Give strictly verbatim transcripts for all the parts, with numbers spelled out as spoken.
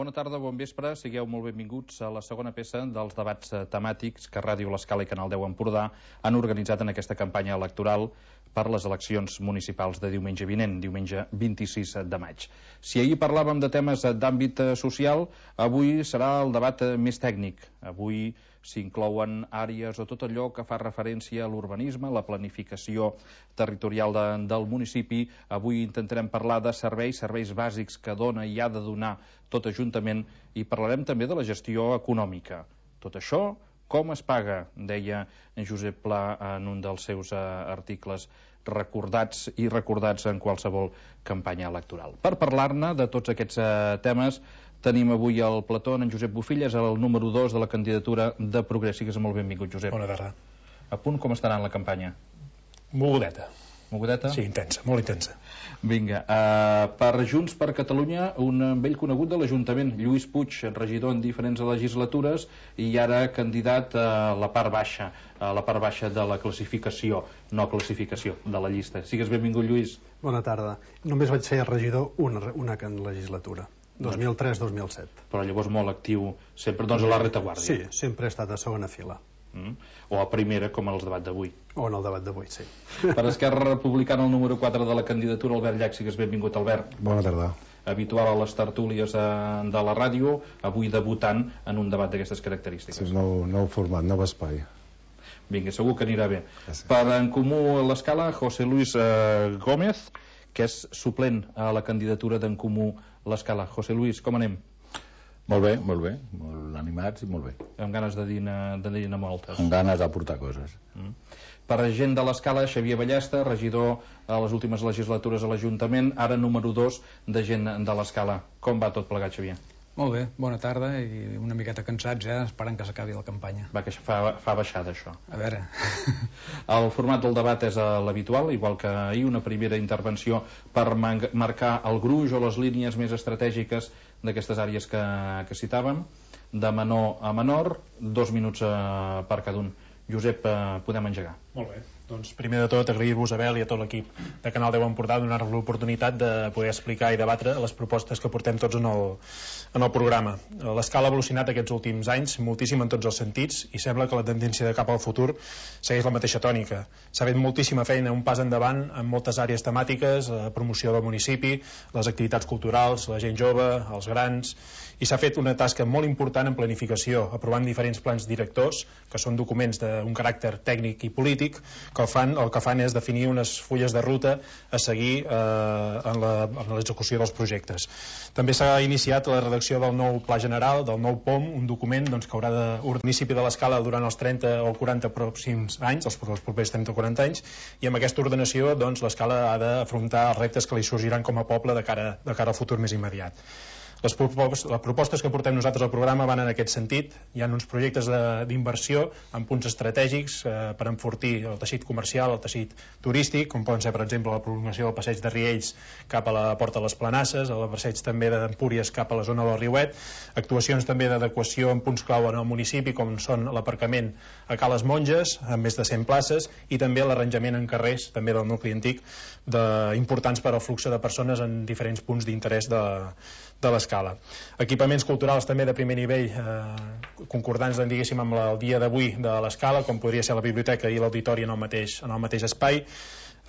Bona tarda, bon vespre, sigueu molt benvinguts a la segona peça dels debats temàtics que Ràdio L'Escala i Canal deu Empordà han organitzat en aquesta campanya electoral per les eleccions municipals de diumenge vinent, diumenge vint-i-sis de maig. Si ahir parlàvem de temes d'àmbit social, avui serà el debat més tècnic. Avui s'inclouen àrees o tot allò que fa referència a l'urbanisme, la planificació territorial de, del municipi. Avui intentarem parlar de serveis, serveis bàsics que dona i ha de donar tot Ajuntament, i parlarem també de la gestió econòmica. Tot això, com es paga, deia en Josep Pla en un dels seus uh, articles recordats i recordats en qualsevol campanya electoral. Per parlar-ne de tots aquests uh, temes, tenim avui al plató en Josep Bufilles, el número dos de la candidatura de Progrés. Sigues molt benvingut, Josep. Bona tarda. A punt, com estarà en la campanya? Mogudeta. Mogudeta? Sí, intensa, molt intensa. Vinga, uh, per Junts per Catalunya, un vell conegut de l'Ajuntament, Lluís Puig, regidor en diferents legislatures i ara candidat a la part baixa, a la part baixa de la classificació, no classificació, de la llista. Sigues benvingut, Lluís. Bona tarda. Només vaig ser regidor una, una legislatura, dos mil tres dos mil set. Però llavors molt actiu, sempre doncs a la retaguardia. Sí, sempre he estat a segona fila. Mm. O a primera, com en el debat d'avui. O en el debat d'avui, sí. Per Esquerra Republicana, el número quatre de la candidatura, Albert Llach. Sigues benvingut, Albert. Bona tarda. Habitual a les tertúlies de la ràdio, avui debutant en un debat d'aquestes característiques. Sí, nou, nou format, nou espai. Vinga, segur que anirà bé. Gràcies. Per En Comú a l'Escala, José Luis eh, Gómez, que és suplent a la candidatura d'En Comú a l'Escala. José Luis, com anem? Molt bé, molt bé, molt animats i molt bé. Amb ganes de dir-ne de dir moltes. Amb ganes d'aportar coses. Mm. Per gent de l'Escala, Xavier Ballesta, regidor a les últimes legislatures a l'Ajuntament, ara número dos de gent de l'Escala. Com va tot plegat, Xavier? Molt bé, bona tarda i una miqueta cansats, eh, esperant que s'acabi la campanya. Va, que fa, fa baixada, això. A veure... El format del debat és l'habitual, igual que ahir, una primera intervenció per marcar el gruix o les línies més estratègiques d'aquestes àrees que, que citàvem, de menor a menor, dos minuts eh, per cada un. Josep, eh, podem engegar. Molt bé. Doncs primer de tot agrair-vos a Abel i a tot l'equip de Canal deu Empordà donar-nos l'oportunitat de poder explicar i debatre les propostes que portem tots en el, en el programa. L'Escala ha evolucionat aquests últims anys moltíssim en tots els sentits i sembla que la tendència de cap al futur segueix la mateixa tònica. S'ha fet moltíssima feina, un pas endavant en moltes àrees temàtiques, la promoció del municipi, les activitats culturals, la gent jove, els grans, i s'ha fet una tasca molt important en planificació, aprovant diferents plans directors, que són documents d'un caràcter tècnic i polític, que el, fan, el que fan és definir unes fulles de ruta a seguir eh, en l'execució dels projectes. També s'ha iniciat la redacció del nou Pla General, del nou P O M, un document doncs, que haurà de municipi de l'Escala durant els trenta o quaranta pròxims anys, els, els propers trenta o quaranta anys, i amb aquesta ordenació doncs, l'Escala ha d'afrontar els reptes que li sorgiran com a poble de cara, de cara al futur més immediat. Les propostes que portem nosaltres al programa van en aquest sentit. Hi ha uns projectes d'inversió en punts estratègics eh, per enfortir el teixit comercial, el teixit turístic, com poden ser, per exemple, la prolongació del passeig de Riells cap a la Porta de les Planasses, el passeig també d'Empúries cap a la zona del Riuet, actuacions també d'adequació en punts clau en el municipi, com són l'aparcament a Cales Monges, amb més de cent places, i també l'arranjament en carrers, també del nucli antic, de, importants per al flux de persones en diferents punts d'interès de de l'Escala. Equipaments culturals també de primer nivell, eh, concordants diguéssim amb el dia d'avui de l'Escala, com podria ser la biblioteca i l'auditori en el mateix, en el mateix espai.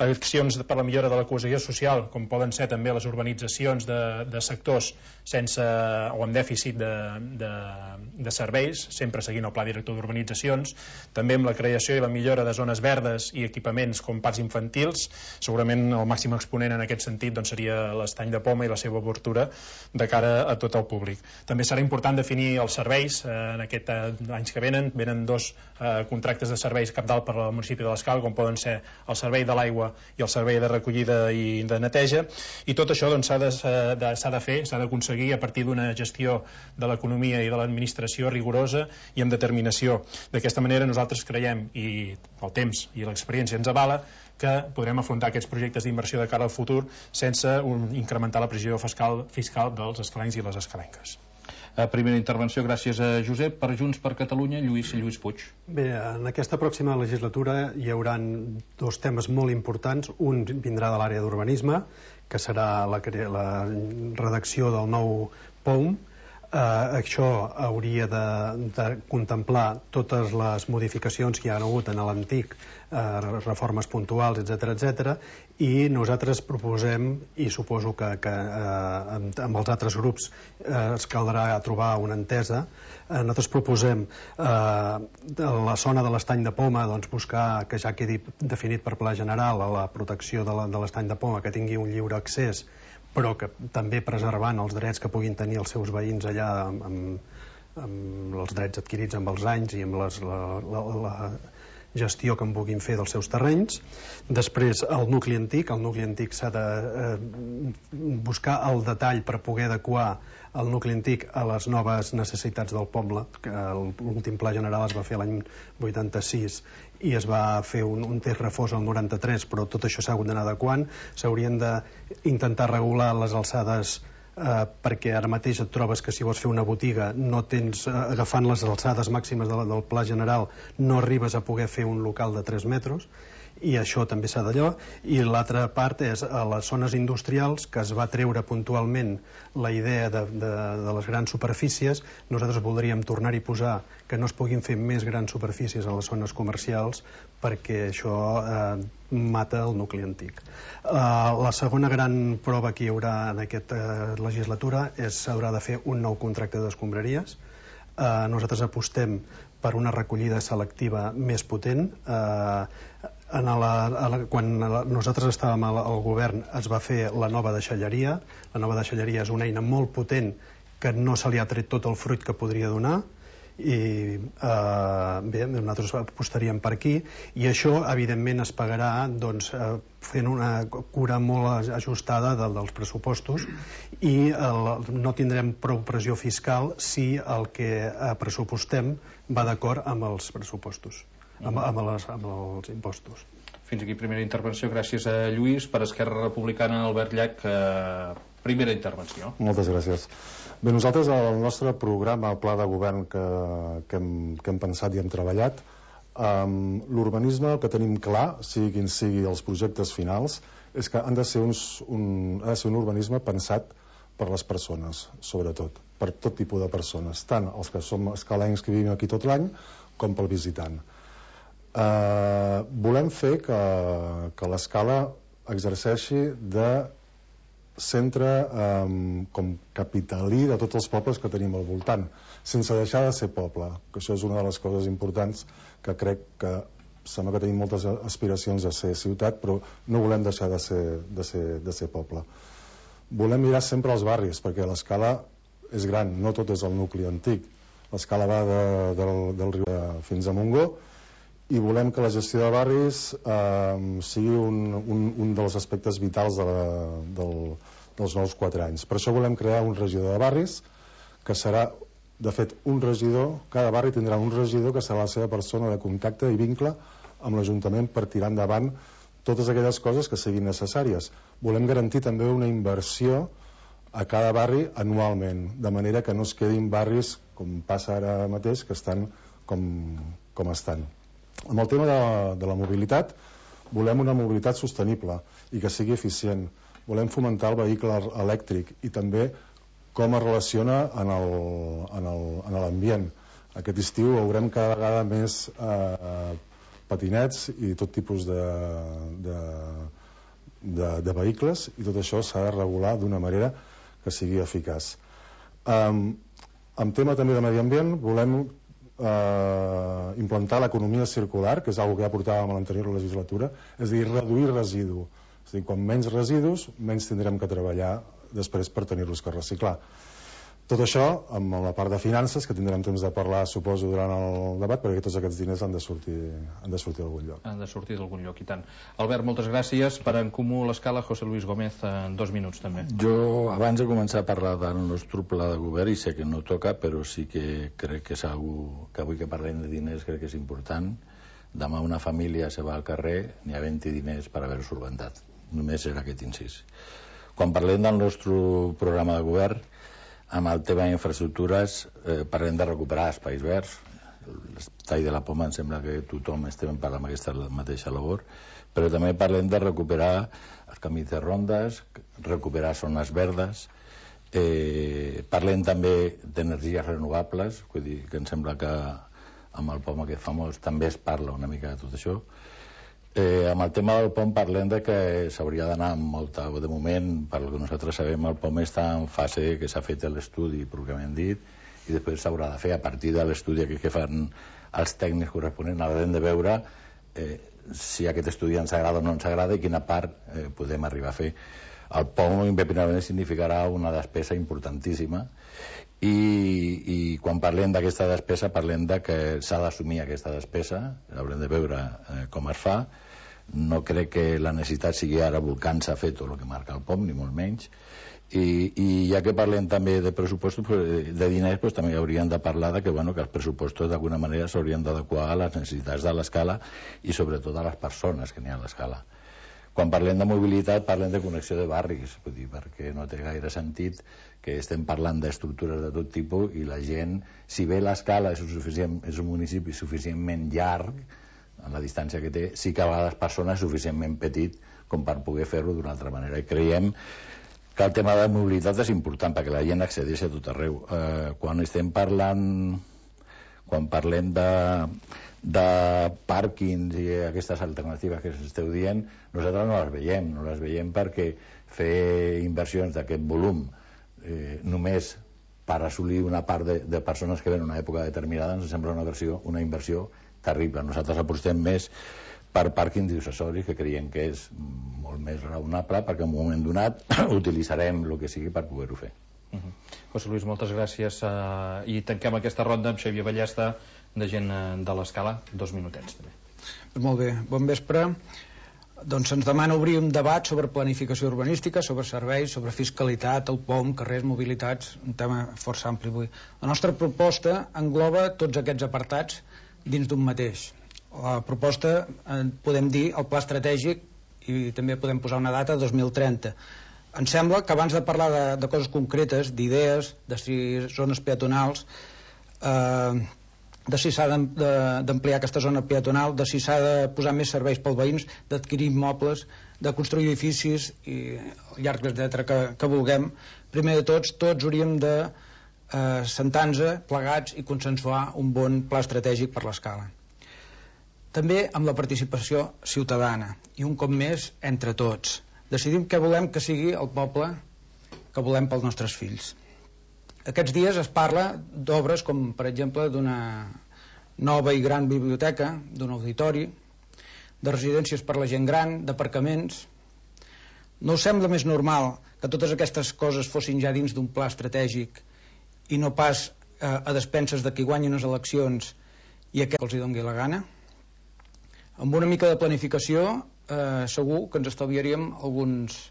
Accions per la millora de la cohesió social, com poden ser també les urbanitzacions de, de sectors sense o amb dèficit de, de, de serveis, sempre seguint el pla director d'urbanitzacions, també amb la creació i la millora de zones verdes i equipaments com parcs infantils. Segurament el màxim exponent en aquest sentit doncs, seria l'Estany de Poma i la seva obertura de cara a tot el públic. També serà important definir els serveis eh, en aquests eh, anys que venen. Venen dos eh, contractes de serveis capdalt per al municipi de l'Escala, com poden ser el servei de l'aigua i el servei de recollida i de neteja, i tot això doncs, s'ha de, de, s'ha de fer, s'ha d'aconseguir a partir d'una gestió de l'economia i de l'administració rigorosa i amb determinació. D'aquesta manera nosaltres creiem, i el temps i l'experiència ens avala, que podrem afrontar aquests projectes d'inversió de cara al futur sense un, incrementar la pressió fiscal, fiscal dels escalencs i les escalenques. Eh, primera intervenció, gràcies a Josep. Per Junts per Catalunya, Lluís Lluís Puig. Bé, en aquesta pròxima legislatura hi haurà dos temes molt importants. Un vindrà de l'àrea d'urbanisme, que serà la, la redacció del nou P O M, Uh, això hauria de, de contemplar totes les modificacions que hi ha hagut en l'antic, uh, reformes puntuals, etcètera, etcètera, i nosaltres proposem, i suposo que, que uh, amb, amb els altres grups uh, es caldrà trobar una entesa, uh, nosaltres proposem uh, la zona de l'estany de Poma, doncs buscar que ja quedi definit per pla general a la protecció de l'estany de, de Poma, que tingui un lliure accés, però que també preservant els drets que puguin tenir els seus veïns allà amb, amb, amb els drets adquirits amb els anys i amb les, la, la, la gestió que en puguin fer dels seus terrenys. Després, el nucli antic. El nucli antic s'ha de eh, buscar el detall per poder adequar el nucli antic a les noves necessitats del poble, que l'últim pla general es va fer l'any vuitanta-sis i es va fer un, un test refós al noranta-tres, però tot això s'ha hagut d'anar adequant. S'haurien d'intentar regular les alçades eh, perquè ara mateix et trobes que si vols fer una botiga no tens, eh, agafant les alçades màximes de la, del pla general, no arribes a poder fer un local de tres metres, i això també s'ha d'allò. I l'altra part és a les zones industrials, que es va treure puntualment la idea de, de, de les grans superfícies. Nosaltres voldríem tornar-hi a posar que no es puguin fer més grans superfícies a les zones comercials, perquè això eh, mata el nucli antic. Eh, la segona gran prova que hi haurà en aquesta legislatura és s'haurà de fer un nou contracte d'escombraries. Eh, nosaltres apostem per una recollida selectiva més potent. Eh, en la, a la, quan la, nosaltres estàvem al, al govern es va fer la nova deixalleria. La nova deixalleria és una eina molt potent que no se li ha tret tot el fruit que podria donar, i eh, bé, nosaltres apostaríem per aquí, i això evidentment es pagarà doncs, eh, fent una cura molt ajustada de, dels pressupostos, i el, no tindrem prou pressió fiscal si el que eh, pressupostem va d'acord amb els pressupostos, amb, amb, les, amb els impostos. Fins aquí primera intervenció. Gràcies a Lluís. Per Esquerra Republicana, Albert Llach, eh, primera intervenció. Moltes gràcies. Bé, nosaltres el nostre programa, el pla de govern que, que, hem, que hem pensat i hem treballat, um, l'urbanisme, el que tenim clar, sigui quin sigui els projectes finals, és que han de ser, uns, un, ha de ser un urbanisme pensat per les persones, sobretot, per tot tipus de persones, tant els que som escalencs que vivim aquí tot l'any, com pel visitant. Uh, volem fer que, que l'escala exerceixi de centre um, com capitalí de tots els pobles que tenim al voltant, sense deixar de ser poble, que això és una de les coses importants, que crec que sembla que tenim moltes aspiracions a ser ciutat, però no volem deixar de ser, de ser, de ser poble. Volem mirar sempre als barris, perquè l'escala és gran, no tot és el nucli antic. L'escala va de, del, del riu fins a Montgó, i volem que la gestió de barris eh, sigui un, un, un dels aspectes vitals de la, del, dels nous quatre anys. Per això volem crear un regidor de barris, que serà, de fet, un regidor, cada barri tindrà un regidor que serà la seva persona de contacte i vincle amb l'Ajuntament per tirar endavant totes aquelles coses que siguin necessàries. Volem garantir també una inversió a cada barri anualment, de manera que no es quedin barris, com passa ara mateix, que estan com, com estan. Amb el tema de la, de la mobilitat, volem una mobilitat sostenible i que sigui eficient. Volem fomentar el vehicle elèctric i també com es relaciona en l'ambient. Aquest estiu veurem cada vegada més eh, patinets i tot tipus de, de, de, de vehicles, i tot això s'ha de regular d'una manera que sigui eficaç. Um, en tema també de medi ambient, volem Uh, implantar l'economia circular, que és una que ja portàvem a l'anterior legislatura, és a dir, reduir residu. És a dir, quan menys residus, menys tindrem que treballar després per tenir-los que reciclar. Tot això amb la part de finances, que tindrem temps de parlar, suposo, durant el debat, perquè tots aquests diners han de sortir, han de sortir d'algun lloc. Han de sortir d'algun lloc, i tant. Albert, moltes gràcies. Per En Comú l'Escala, José Luis Gómez, en dos minuts també. Jo, abans de començar a parlar del nostre pla de govern, i sé que no toca, però sí que crec que és algú que avui que parlem de diners crec que és important. Demà una família se va al carrer, n'hi ha vint diners per haver-ho solventat. Només era aquest incís. Quan parlem del nostre programa de govern, amb el tema d'infraestructures, eh, parlem de recuperar espais verds. L'estall de la Poma em sembla que tothom estem parlant d'aquesta mateixa labor, però també parlem de recuperar els camins de rondes, recuperar zones verdes Eh, parlem també d'energies renovables, vull dir que em sembla que amb el POM aquest famós també es parla una mica de tot això. Eh, amb el tema del POM parlem de que s'hauria d'anar amb molta... De moment, per el que nosaltres sabem, el POM està en fase que s'ha fet l'estudi pròpiament dit, i després s'haurà de fer a partir de l'estudi que fan els tècnics corresponents, haurem de veure eh, si aquest estudi ens agrada o no ens agrada i quina part eh, podem arribar a fer. El POM impepinablement significarà una despesa importantíssima i, i quan parlem d'aquesta despesa parlem de que s'ha d'assumir aquesta despesa, haurem de veure eh, com es fa. No crec que la necessitat sigui ara volcant-se a fer tot el que marca el POM, ni molt menys. I, i ja que parlem també de pressupostos, de diners, doncs també hauríem de parlar de que, bueno, que els pressupostos d'alguna manera s'haurien d'adequar a les necessitats de l'escala i sobretot a les persones que n'hi ha a l'escala. Quan parlem de mobilitat parlem de connexió de barris, vull dir, perquè no té gaire sentit que estem parlant d'estructures de tot tipus i la gent, si bé l'escala és, és un municipi suficientment llarg en la distància que té, sí que a vegades persones suficientment petit com per poder fer-ho d'una altra manera, i creiem que el tema de mobilitat és important perquè la gent accedeixi a tot arreu. Eh, quan estem parlant quan parlem de de pàrquings i aquestes alternatives que s'esteu dient, nosaltres no les veiem, no les veiem perquè fer inversions d'aquest volum eh, només per assolir una part de, de persones que ven en una època determinada ens sembla una, versió, una inversió terrible. Nosaltres apostem més per pàrquings accessoris, que creiem que és molt més raonable perquè en un moment donat utilitzarem el que sigui per poder-ho fer. Uh-huh. José Luis, moltes gràcies uh, i tanquem aquesta ronda amb Xavier Ballesta de gent uh, de l'Escala, dos minutets també. Molt bé, bon vespre. Doncs se'ns demana obrir un debat sobre planificació urbanística, sobre serveis, sobre fiscalitat, el POM, carrers, mobilitats, un tema força ampli avui. La nostra proposta engloba tots aquests apartats dins d'un mateix. La proposta, eh, podem dir, el pla estratègic, i també podem posar una data, dos mil trenta. Em sembla que abans de parlar de, de coses concretes, d'idees, de si zones peatonals, eh, de si s'ha d'ampliar aquesta zona peatonal, de si s'ha de posar més serveis pels veïns, d'adquirir immobles, de construir edificis i el llarg etcètera que, que vulguem, primer de tots, tots hauríem de eh, sentar-nos plegats i consensuar un bon pla estratègic per l'Escala. També amb la participació ciutadana i un cop més entre tots. Decidim què volem que sigui el poble que volem pels nostres fills. Aquests dies es parla d'obres com, per exemple, d'una nova i gran biblioteca, d'un auditori, de residències per la gent gran, d'aparcaments. No us sembla més normal que totes aquestes coses fossin ja dins d'un pla estratègic i no pas eh, a despenses de qui guanyi unes eleccions i a què els hi doni la gana? Amb una mica de planificació eh, segur que ens estalviaríem alguns,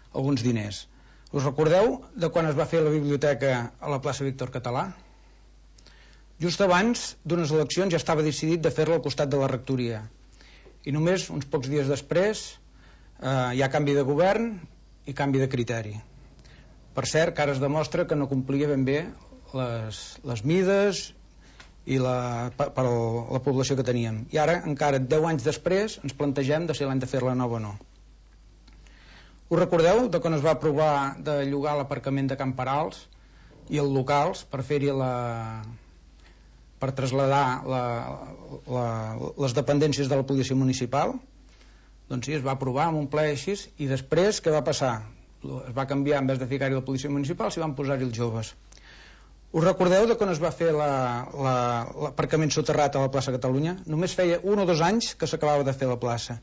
alguns diners. Us recordeu de quan es va fer la biblioteca a la plaça Víctor Català? Just abans d'unes eleccions ja estava decidit de fer-la al costat de la rectoria i només uns pocs dies després eh, hi ha canvi de govern i canvi de criteri. Per cert, que ara es demostra que no complia ben bé les, les mides i la, per, per la població que teníem. I ara, encara deu anys després, ens plantegem de si l'hem de fer-la nova o no. Us recordeu de quan es va aprovar de llogar l'aparcament de Can Perals i els locals per fer-hi la... per traslladar la, la, les dependències de la policia municipal? Doncs sí, es va aprovar amb un ple així, i després què va passar? Es va canviar, en vez de ficar-hi la policia municipal, s'hi van posar-hi els joves. Us recordeu de quan es va fer l'aparcament soterrat a la plaça Catalunya? Només feia un o dos anys que s'acabava de fer la plaça.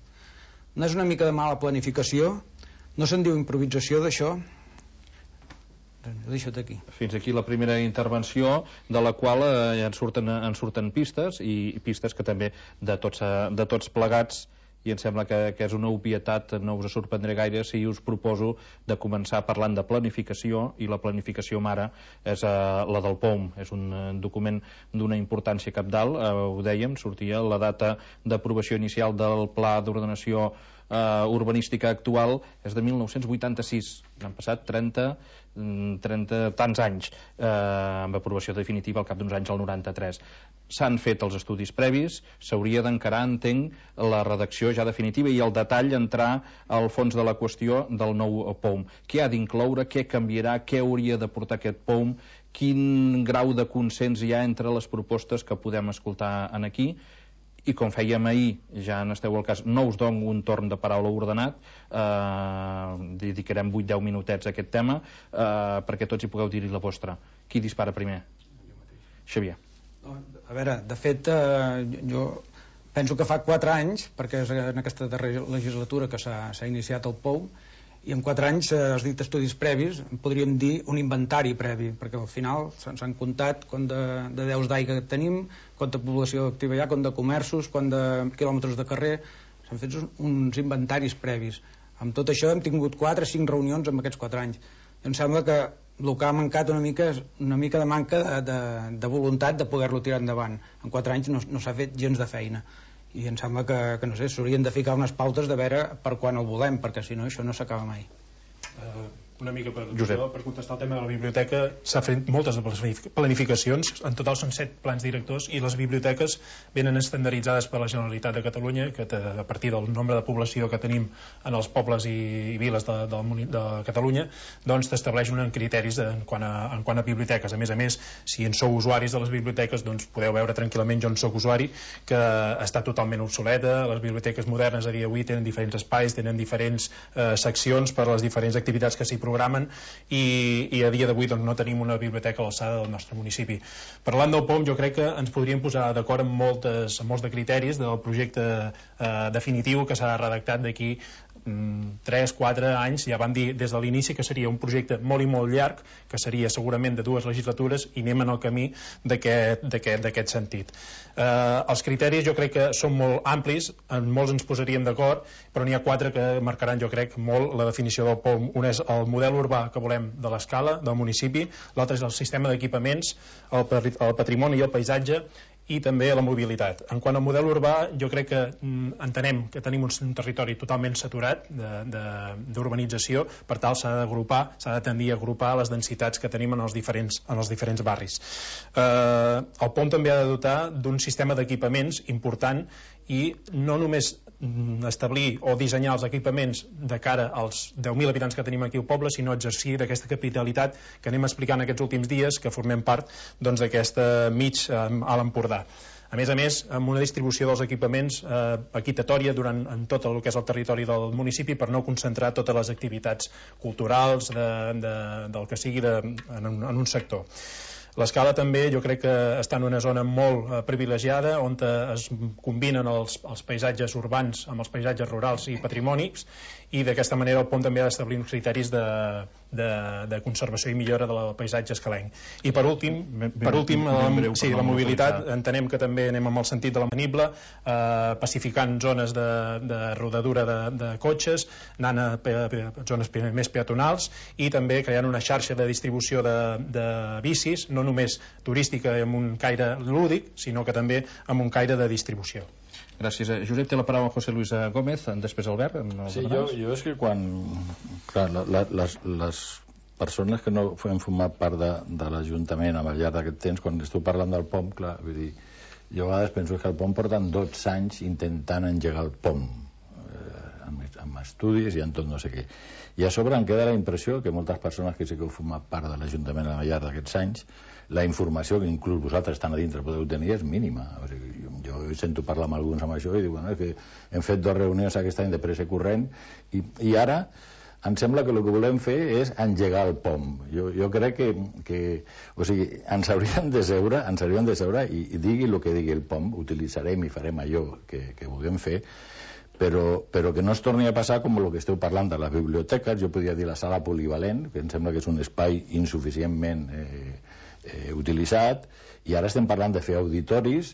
No és una mica de mala planificació? No se'n diu improvisació d'això? Ho deixo aquí. Fins aquí la primera intervenció, de la qual eh, en, surten, en surten pistes, i pistes que també de tots, de tots plegats, i em sembla que, que és una obvietat, no us sorprendré gaire si us proposo de començar parlant de planificació, i la planificació mare és uh, la del POM. És un uh, document d'una importància cabdal, uh, ho dèiem, sortia la data d'aprovació inicial del Pla d'Ordenació uh, Urbanística actual és de mil nou-cents vuitanta-sis, han passat trenta, trenta tants anys, eh, amb aprovació definitiva al cap d'uns anys, al noranta-tres. S'han fet els estudis previs, s'hauria d'encarar, entenc, la redacció ja definitiva i el detall entrar al fons de la qüestió del nou P O M. Què ha d'incloure, què canviarà, què hauria de portar aquest P O M, quin grau de consens hi ha entre les propostes que podem escoltar en aquí, i com fèiem ahir, ja n'esteu al cas, no us dono un torn de paraula ordenat, eh, dedicarem vuit deu minutets a aquest tema, eh, perquè tots hi pugueu dir-hi la vostra. Qui dispara primer? Xavier. A veure, de fet, eh, jo penso que fa quatre anys, perquè és en aquesta darrera legislatura que s'ha iniciat el P O M, i en quatre anys, eh, has dit estudis previs, podríem dir un inventari previ, perquè al final s'han comptat quant de, de deus d'aigua que tenim, quanta població activa hi ha, quant de comerços, quant de quilòmetres de carrer, s'han fet uns inventaris previs. Amb tot això hem tingut quatre o cinc reunions en aquests quatre anys. Em sembla que el que ha mancat una mica és una mica de manca de, de, de voluntat de poder-lo tirar endavant. En quatre anys no, no s'ha fet gens de feina. I em sembla que, que no sé, s'haurien de ficar unes pautes de veure per quan el volem, perquè si no això no s'acaba mai. Uh, una mica per, per contestar el tema de la biblioteca, s'ha fet moltes planificacions, en total són set plans directors, i les biblioteques venen estandarditzades per la Generalitat de Catalunya, que a partir del nombre de població que tenim en els pobles i, i viles de, de, de Catalunya, doncs t'estableix uns criteris de, en, quant a, en quant a biblioteques. A més a més, si en sou usuaris de les biblioteques, doncs podeu veure tranquil·lament, jo en soc usuari, que està totalment obsoleta. Les biblioteques modernes a dia d'avui tenen diferents espais, tenen diferents eh, seccions per a les diferents activitats que s'hi programen, i, i a dia d'avui doncs, no tenim una biblioteca a l'alçada del nostre municipi. Parlant del P O M, jo crec que ens podríem posar d'acord amb, moltes, amb molts de criteris del projecte eh, definitiu que s'ha redactat d'aquí tres quatre anys. Ja van dir des de l'inici que seria un projecte molt i molt llarg, que seria segurament de dues legislatures, i anem en el camí d'aquest sentit. Eh, els criteris jo crec que són molt amplis, en molts ens posaríem d'acord, però n'hi ha quatre que marcaran jo crec molt la definició del P O M. Un és el model urbà que volem de l'escala, del municipi, l'altre és el sistema d'equipaments, el, el patrimoni i el paisatge, i també la mobilitat. En quant al model urbà, jo crec que mm, entenem que tenim un, un territori totalment saturat d'urbanització, per tal s'ha d'agrupar, s'ha de tendir a agrupar les densitats que tenim en els diferents, en els diferents barris. Eh, el P O M també ha de dotar d'un sistema d'equipaments important, i no només establir o dissenyar els equipaments de cara als deu mil habitants que tenim aquí al poble, sinó exercir d'aquesta capitalitat que anem explicant aquests últims dies, que formem part doncs, d'aquesta mig eh, a l'Empordà. A més a més, amb una distribució dels equipaments eh, equitatòria durant en tot el que és el territori del municipi, per no concentrar totes les activitats culturals de, de, del que sigui de, en, un, en un sector. L'escala també jo crec que està en una zona molt eh, privilegiada, on es combinen els, els paisatges urbans amb els paisatges rurals i patrimònics, i d'aquesta manera el P O M també ha d'establir uns criteris de, de, de conservació i millora del paisatge escalenc. I per últim, ben, per últim ben breu, sí, la mobilitat, entenem que també anem amb el sentit de la manible, eh, pacificant zones de, de rodadura de, de cotxes, anant a, pe, a zones pe, més peatonals, i també creant una xarxa de distribució de, de bicis, no només turística amb un caire lúdic, sinó que també amb un caire de distribució. Gràcies. Josep, té la paraula José Luis Gómez, després Albert. Sí, jo, jo és que quan... Clar, la, la, les, les persones que no hem format part de, de l'Ajuntament al llarg d'aquest temps, quan esteu parlant del P O M, clar, vull dir, jo a vegades penso que el P O M porten dotze anys intentant engegar el P O M, eh, amb, amb estudis i en tot no sé què. I a sobre em queda la impressió que moltes persones que sí que heu format part de l'Ajuntament al llarg d'aquests anys, la informació que inclús vosaltres estan a dintre podeu tenir és mínima. O sigui, jo, jo sento parlar amb alguns amb això i dic, bueno, és que hem fet dues reunions aquest any de pressa i corrent, i, i ara em sembla que el que volem fer és engegar el P O M. Jo, jo crec que, que o sigui, ens hauríem de seure, ens hauríem de seure i, i digui el que digui el P O M, utilitzarem i farem allò que, que vulguem fer, però, però que no es torni a passar com el que esteu parlant de les biblioteques. Jo podria dir la sala polivalent, que em sembla que és un espai insuficientment eh, eh, utilitzat, i ara estem parlant de fer auditoris.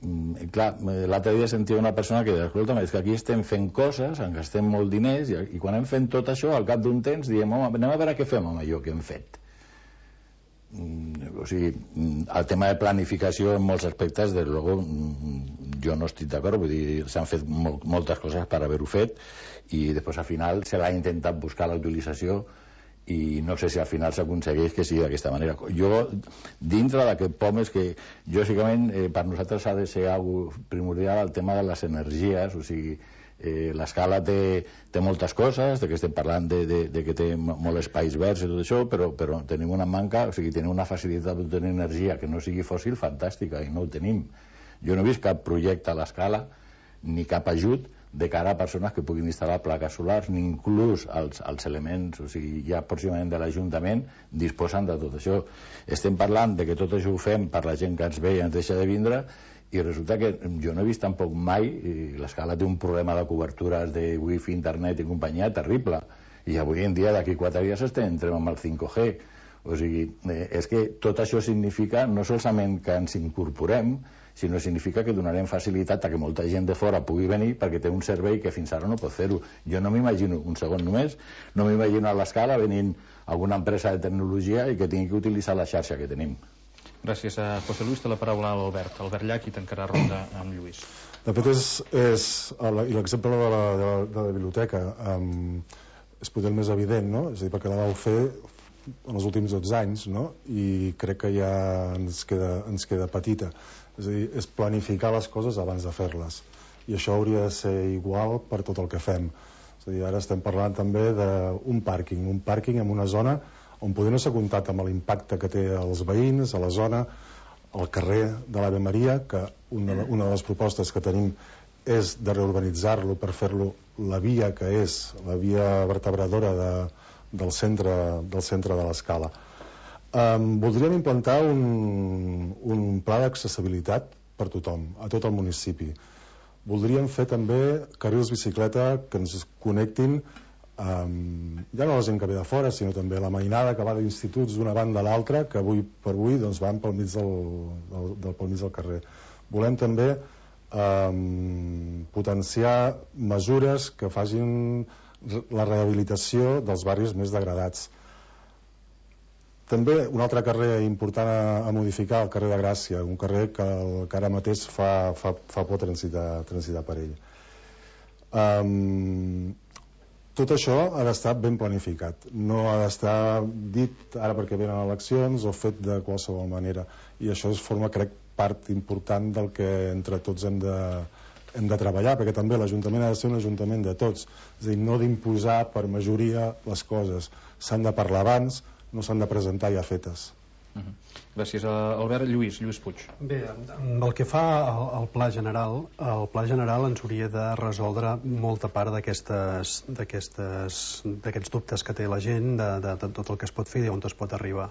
Mm, clar, l'altre dia sentia una persona que deia, escolta, és que aquí estem fent coses, en gastem molt diners, i, i quan hem fet tot això, al cap d'un temps diem, home, anem a veure què fem amb allò que hem fet. Mm, o sigui, el tema de planificació en molts aspectes, des de luego, jo no estic d'acord, vull dir, s'han fet mol moltes coses per haver-ho fet, i després al final se l'ha intentat buscar la utilització, i no sé si al final s'aconsegueix que sigui d'aquesta manera. Jo, dintre d'aquest P O M, és que, lògicament, eh, per nosaltres ha de ser algo primordial el tema de les energies, o sigui, Eh, l'escala té, té moltes coses, de que estem parlant de, de, de que té molts espais verds i tot això, però, però tenim una manca, o sigui, tenim una facilitat d'obtenir energia que no sigui fòssil fantàstica, i no ho tenim. Jo no he vist cap projecte a l'escala, ni cap ajut de cara a persones que puguin instal·lar plaques solars, ni inclús els, els elements, o sigui, ja pròximament de l'Ajuntament disposen de tot això. Estem parlant de que tot això ho fem per la gent que ens ve i ens deixa de vindre, i resulta que jo no he vist tampoc mai, l'escala té un problema de cobertures de wifi, internet i companyia terrible, i avui en dia d'aquí quatre dies estem entrem amb el cinc G. O sigui, eh, és que tot això significa no solament que ens incorporem, sinó significa que donarem facilitat a que molta gent de fora pugui venir perquè té un servei que fins ara no pot fer-ho. Jo no m'imagino, un segon només, no m'imagino a l'escala venint alguna empresa de tecnologia i que tingui que utilitzar la xarxa que tenim. Gràcies a José Luis. Té la paraula a l'Albert. Albert Llach, i tancarà ronda amb Lluís. De fet, és, és l'exemple de, la, de, la, de la biblioteca um, és potser el més evident, no? És a dir, perquè la vau fer en els últims dotze anys, no? I crec que ja ens queda, ens queda petita. És a dir, és planificar les coses abans de fer-les. I això hauria de ser igual per tot el que fem. És a dir, ara estem parlant també d'un pàrquing, un pàrquing en una zona on poder no s'ha comptat amb l'impacte que té als veïns, a la zona, al carrer de l'Ave Maria, que una, una de les propostes que tenim és de reurbanitzar-lo per fer-lo la via que és, la via vertebradora de, del, centre, del centre de l'escala. Um, voldríem implantar un, un pla d'accessibilitat per tothom, a tot el municipi. Voldríem fer també carrils bicicleta que ens connectin Um, ja no la gent que ve de fora, sinó també la mainada que va d'instituts d'una banda a l'altra, que avui per avui doncs, van pel mig del, del, del, pel mig del carrer. Volem també um, potenciar mesures que facin la rehabilitació dels barris més degradats. També un altre carrer important a, a modificar, el carrer de Gràcia, un carrer que, que ara mateix fa, fa, fa por transitar, transitar per ell. Um, Tot això ha d'estar ben planificat, no ha d'estar dit ara perquè venen eleccions o fet de qualsevol manera, i això es forma, crec, part important del que entre tots hem de, hem de treballar, perquè també l'Ajuntament ha de ser un ajuntament de tots, és a dir, no d'imposar per majoria les coses, s'han de parlar abans, no s'han de presentar ja fetes. Uh-huh. Gràcies a Albert. Lluís, Lluís Puig. Bé, el que fa al, al pla general, el pla general ens hauria de resoldre molta part d'aquestes d'aquests dubtes que té la gent, de, de, de tot el que es pot fer i on es pot arribar.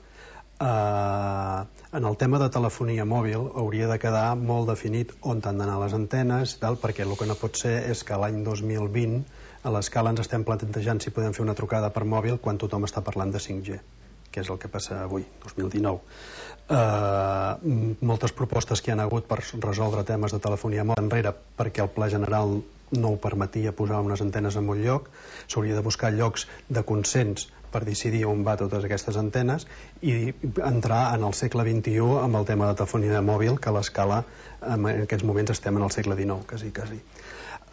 Uh, en el tema de telefonia mòbil hauria de quedar molt definit on han d'anar les antenes, tal, perquè el que no pot ser és que l'any dos mil vint a l'escala ens estem plantejant si podem fer una trucada per mòbil quan tothom està parlant de cinc G, que és el que passa avui, dos mil dinou. Uh, moltes propostes que hi ha hagut per resoldre temes de telefonia mòbil enrere perquè el pla general no ho permetia posar unes antenes en un lloc, s'hauria de buscar llocs de consens per decidir on va totes aquestes antenes i entrar en el segle vint-i-u amb el tema de telefonia mòbil, que a l'escala en aquests moments estem en el segle dinou, quasi, quasi.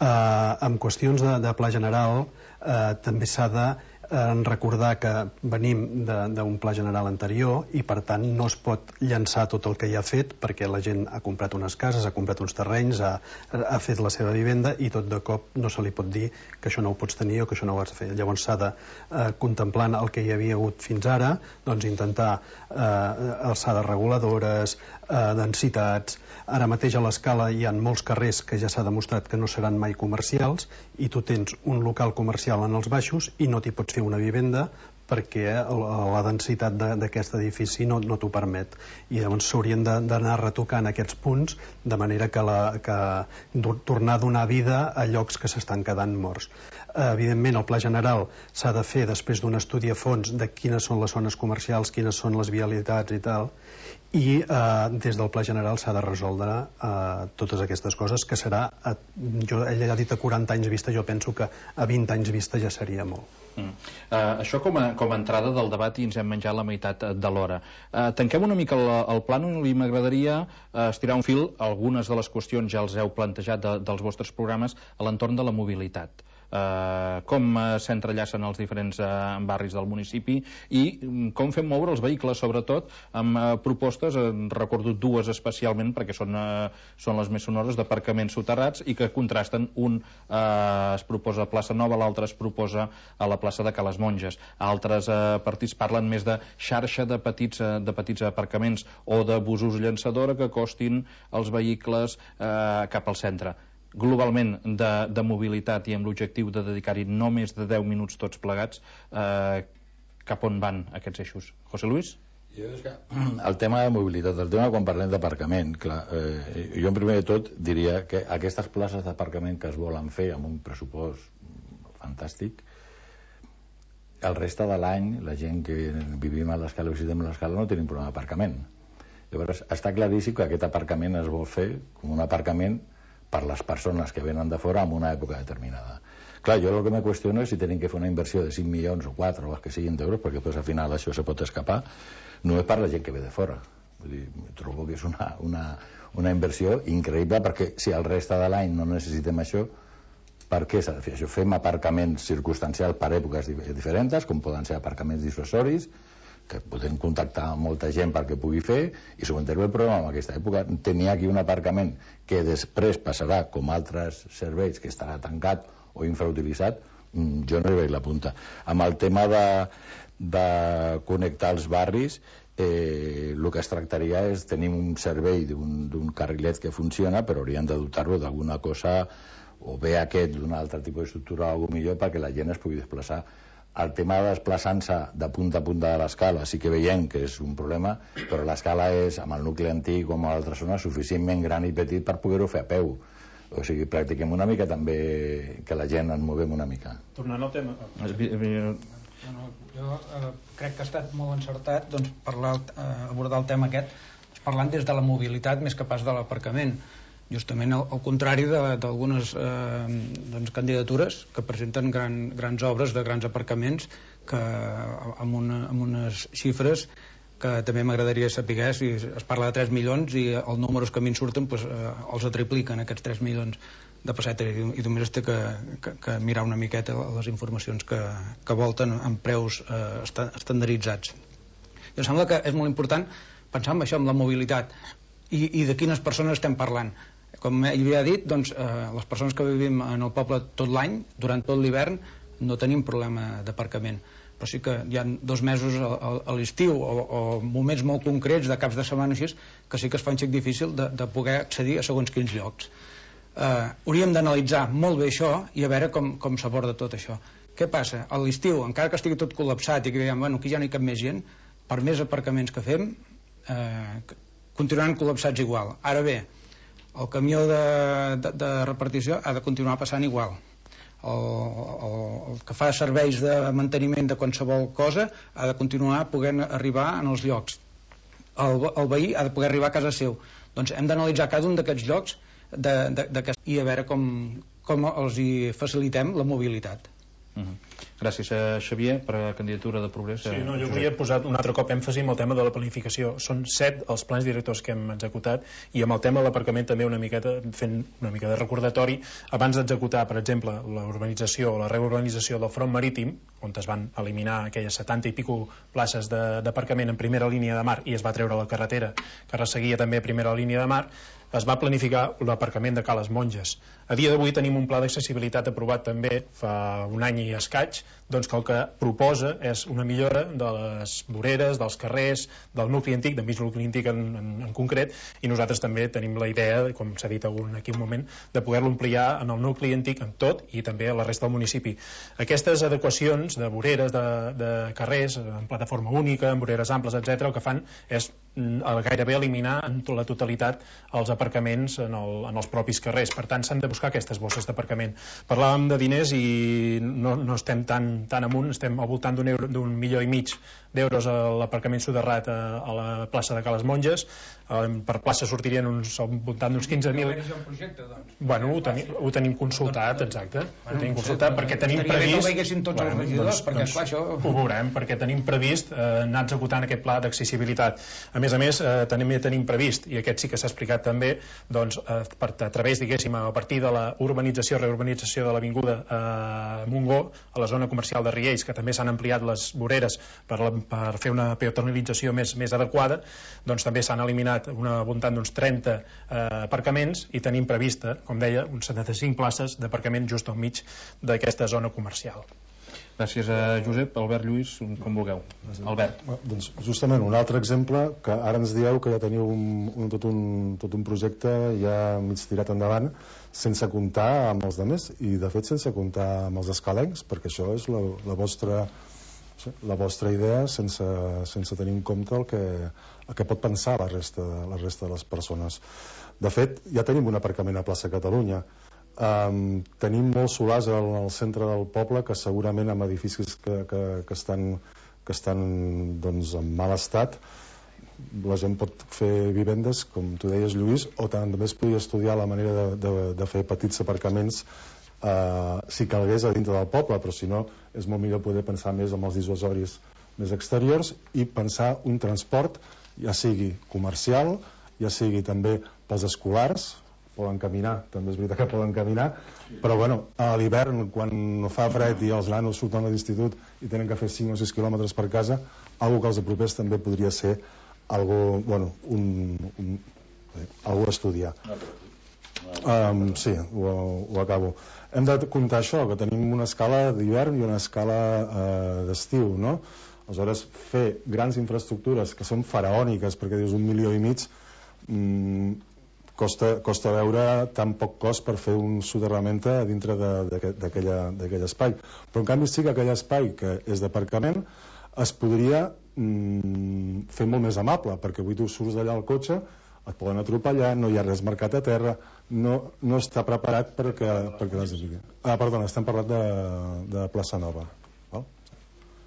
Uh, en qüestions de, de pla general uh, també s'ha de en recordar que venim d'un pla general anterior i per tant no es pot llançar tot el que hi ha fet perquè la gent ha comprat unes cases, ha comprat uns terrenys, ha, ha fet la seva vivenda i tot de cop no se li pot dir que això no ho pots tenir o que això no ho has de fer. Llavors s'ha de, eh, contemplant el que hi havia hagut fins ara, doncs intentar eh, alçades reguladores, eh, densitats. Ara mateix a l'escala hi ha molts carrers que ja s'ha demostrat que no seran mai comercials i tu tens un local comercial en els baixos i no t'hi pots fer una vivenda perquè la densitat d'aquest edifici no, no t'ho permet, i llavors s'haurien d'anar retocant aquests punts de manera que, la, que tornar a donar vida a llocs que s'estan quedant morts. Evidentment el pla general s'ha de fer després d'un estudi a fons de quines són les zones comercials, quines són les vialitats i tal, i eh, des del pla general s'ha de resoldre eh, totes aquestes coses, que serà, a, jo, ella ha dit a quaranta anys vista, jo penso que a vint anys vista ja seria molt. Mm. Uh, això com a, com a entrada del debat, i ens hem menjat la meitat de l'hora. Uh, tanquem una mica el, el plànol i m'agradaria uh, estirar un fil. Algunes de les qüestions ja els heu plantejat de, dels vostres programes a l'entorn de la mobilitat. eh, com eh, s'entrellacen els diferents eh, barris del municipi i com fem moure els vehicles, sobretot amb eh, propostes, eh, recordo dues especialment perquè són, eh, són les més sonores, d'aparcaments soterrats i que contrasten. Un eh, es proposa a Plaça Nova, l'altre es proposa a la plaça de Cales Monges. Altres eh, partits parlen més de xarxa de petits, eh, de petits aparcaments o de busos llançadora que costin els vehicles eh, cap al centre. Globalment de, de mobilitat i amb l'objectiu de dedicar-hi no més de deu minuts tots plegats, eh, cap on van aquests eixos? José Luis? Jo és que el tema de mobilitat, el tema quan parlem d'aparcament, clar, eh, jo en primer de tot diria que aquestes places d'aparcament que es volen fer amb un pressupost fantàstic, el reste de l'any la gent que vivim a l'escala o visitem l'escala no tenim problema d'aparcament. Llavors està claríssim que aquest aparcament es vol fer com un aparcament per les persones que venen de fora en una època determinada. Clar, jo el que me qüestiono és si tenim que fer una inversió de cinc milions o quatre o els que siguin d'euros, perquè després al final això se pot escapar, no és per la gent que ve de fora. Vull dir, trobo que és una, una, una inversió increïble, perquè si el reste de l'any no necessitem això, per què s'ha de fer això? Fem aparcaments circumstancials per èpoques diferents, com poden ser aparcaments dissuasoris, que podem contactar amb molta gent perquè pugui fer, i solucionem el problema en aquesta època. Tenir aquí un aparcament que després passarà com altres serveis, que estarà tancat o infrautilitzat, jo no hi veig la punta. Amb el tema de, de connectar els barris, eh, el que es tractaria és tenir un servei d'un carrilet que funciona, però haurien de dotar-lo d'alguna cosa, o bé aquest d'un altre tipus d'estructura o alguna millor perquè la gent es pugui desplaçar. El tema de desplaçant-se de punta a punta de l'escala sí que veiem que és un problema, però l'escala és, amb el nucli antic o amb altres zones, suficientment gran i petit per poder-ho fer a peu. O sigui, practiquem una mica també que la gent ens movem una mica. Tornant al tema... No, jo eh, crec que ha estat molt encertat doncs, parlar, eh, abordar el tema aquest parlant des de la mobilitat més que pas de l'aparcament. Justament al, al contrari d'algunes eh, doncs, candidatures que presenten gran, grans obres de grans aparcaments que, amb, una, amb unes xifres que també m'agradaria saber si es parla de tres milions i els números que a mi en surten doncs, eh, els atripliquen aquests tres milions de pessetes i, i només té que, que, que mirar una miqueta les informacions que, que volten amb preus eh, estandarditzats. I em sembla que és molt important pensar en això, en la mobilitat i, i de quines persones estem parlant. Com ell havia dit, doncs, eh, les persones que vivim en el poble tot l'any, durant tot l'hivern, no tenim problema d'aparcament. Però sí que hi ha dos mesos a, a, a l'estiu o, o moments molt concrets de caps de setmana així, que sí que es fa un xic difícil de, de poder accedir a segons quins llocs. Eh, hauríem d'analitzar molt bé això i a veure com, com s'aborda tot això. Què passa? A l'estiu, encara que estigui tot col·lapsat i que diguem, bueno, aquí ja no hi cap més gent, per més aparcaments que fem, eh, continuaran col·lapsats igual. Ara bé, el camió de, de, de repartició ha de continuar passant igual. El, el, el que fa serveis de manteniment de qualsevol cosa ha de continuar podent arribar en els llocs. El, el veí ha de poder arribar a casa seu. Doncs hem d'analitzar cada un d'aquests llocs de, de, de, i a veure com, com els hi facilitem la mobilitat. Uh-huh. Gràcies a Xavier per la candidatura de Progrés. Sí, no, jo volia posar un altre cop èmfasi amb el tema de la planificació. Són set els plans directors que hem executat i amb el tema de l'aparcament també una miqueta fent una mica de recordatori abans d'executar, per exemple, la urbanització o la reurbanització del front marítim, on es van eliminar aquelles setanta i pico places d'aparcament en primera línia de mar i es va treure la carretera que resseguia també a primera línia de mar, es va planificar l'aparcament de Cales Monges. A dia d'avui tenim un pla d'accessibilitat aprovat també fa un any i escaig, doncs que el que proposa és una millora de les voreres, dels carrers, del nucli antic, del mig nucli antic en, en, en concret, i nosaltres també tenim la idea, com s'ha dit algun, aquí un moment, de poder-lo ampliar en el nucli antic en tot i també a la resta del municipi. Aquestes adequacions de voreres, de, de carrers, en plataforma única, amb voreres amples, etcètera, el que fan és gairebé eliminar en la totalitat els aparcaments en, el, en els propis carrers. Per tant, s'han de buscar aquestes bosses d'aparcament. Parlàvem de diners i no, no estem tan, tan amunt, estem al voltant d'un d'un milió i mig d'euros a l'aparcament soterrat a, a la plaça de Cales Monges. Eh, per plaça sortirien uns, al voltant d'uns quinze mil. Doncs. Bueno, ho, teni, ho tenim consultat, exacte. Ho tenim consultat perquè tenim previst... No veiessin tots els regidors, perquè clar, això... Ho veurem, perquè tenim previst eh, anar executant aquest pla d'accessibilitat. A més a més, eh, tenim, tenim previst, i aquest sí que s'ha explicat també, fer doncs, a, a través, diguéssim, a partir de la urbanització, reurbanització de l'avinguda eh, Montgó, a la zona comercial de Riells, que també s'han ampliat les voreres per, la, per fer una peatonalització més, més adequada, doncs també s'han eliminat una voltant d'uns trenta eh, aparcaments i tenim prevista, com deia, uns setanta-cinc places d'aparcament just al mig d'aquesta zona comercial. Gràcies a Josep. Albert, Lluís, com vulgueu. Albert. Doncs justament un altre exemple, que ara ens dieu que ja teniu un, un, tot, un, tot un projecte ja mig tirat endavant sense comptar amb els altres i de fet sense comptar amb els escalencs, perquè això és la, la vostra la vostra idea sense, sense tenir en compte el que, el que pot pensar la resta, la resta de les persones. De fet, ja tenim un aparcament a plaça Catalunya. Um, tenim molts solars al, al centre del poble que segurament amb edificis que, que, que estan, que estan doncs, en mal estat la gent pot fer vivendes, com tu deies, Lluís, o també es podria estudiar la manera de, de, de fer petits aparcaments uh, si calgués a dintre del poble, però si no és molt millor poder pensar més en els dissuasoris més exteriors i pensar un transport ja sigui comercial, ja sigui també pels escolars, poden caminar, també és veritat que poden caminar, però bueno, a l'hivern quan fa fred i els nanos surten a l'institut i tenen que fer cinc o sis quilòmetres per casa, algo que els apropés també podria ser algo, bueno, un, un, eh, algo a estudiar. Um, sí, ho, ho acabo. Hem de comptar això, que tenim una escala d'hivern i una escala uh, d'estiu, no? Aleshores, fer grans infraestructures que són faraòniques, perquè dius un milió i mig, mm, Costa, costa veure tan poc cost per fer un soterrament a dintre d'aquell espai. Però en canvi sí que aquell espai que és d'aparcament es podria mm, fer molt més amable, perquè avui tu surts d'allà al cotxe, et poden atropellar, no hi ha res marcat a terra, no, no està preparat perquè, perquè les... Ah, perdona, estem parlant de, de Plaça Nova. Val?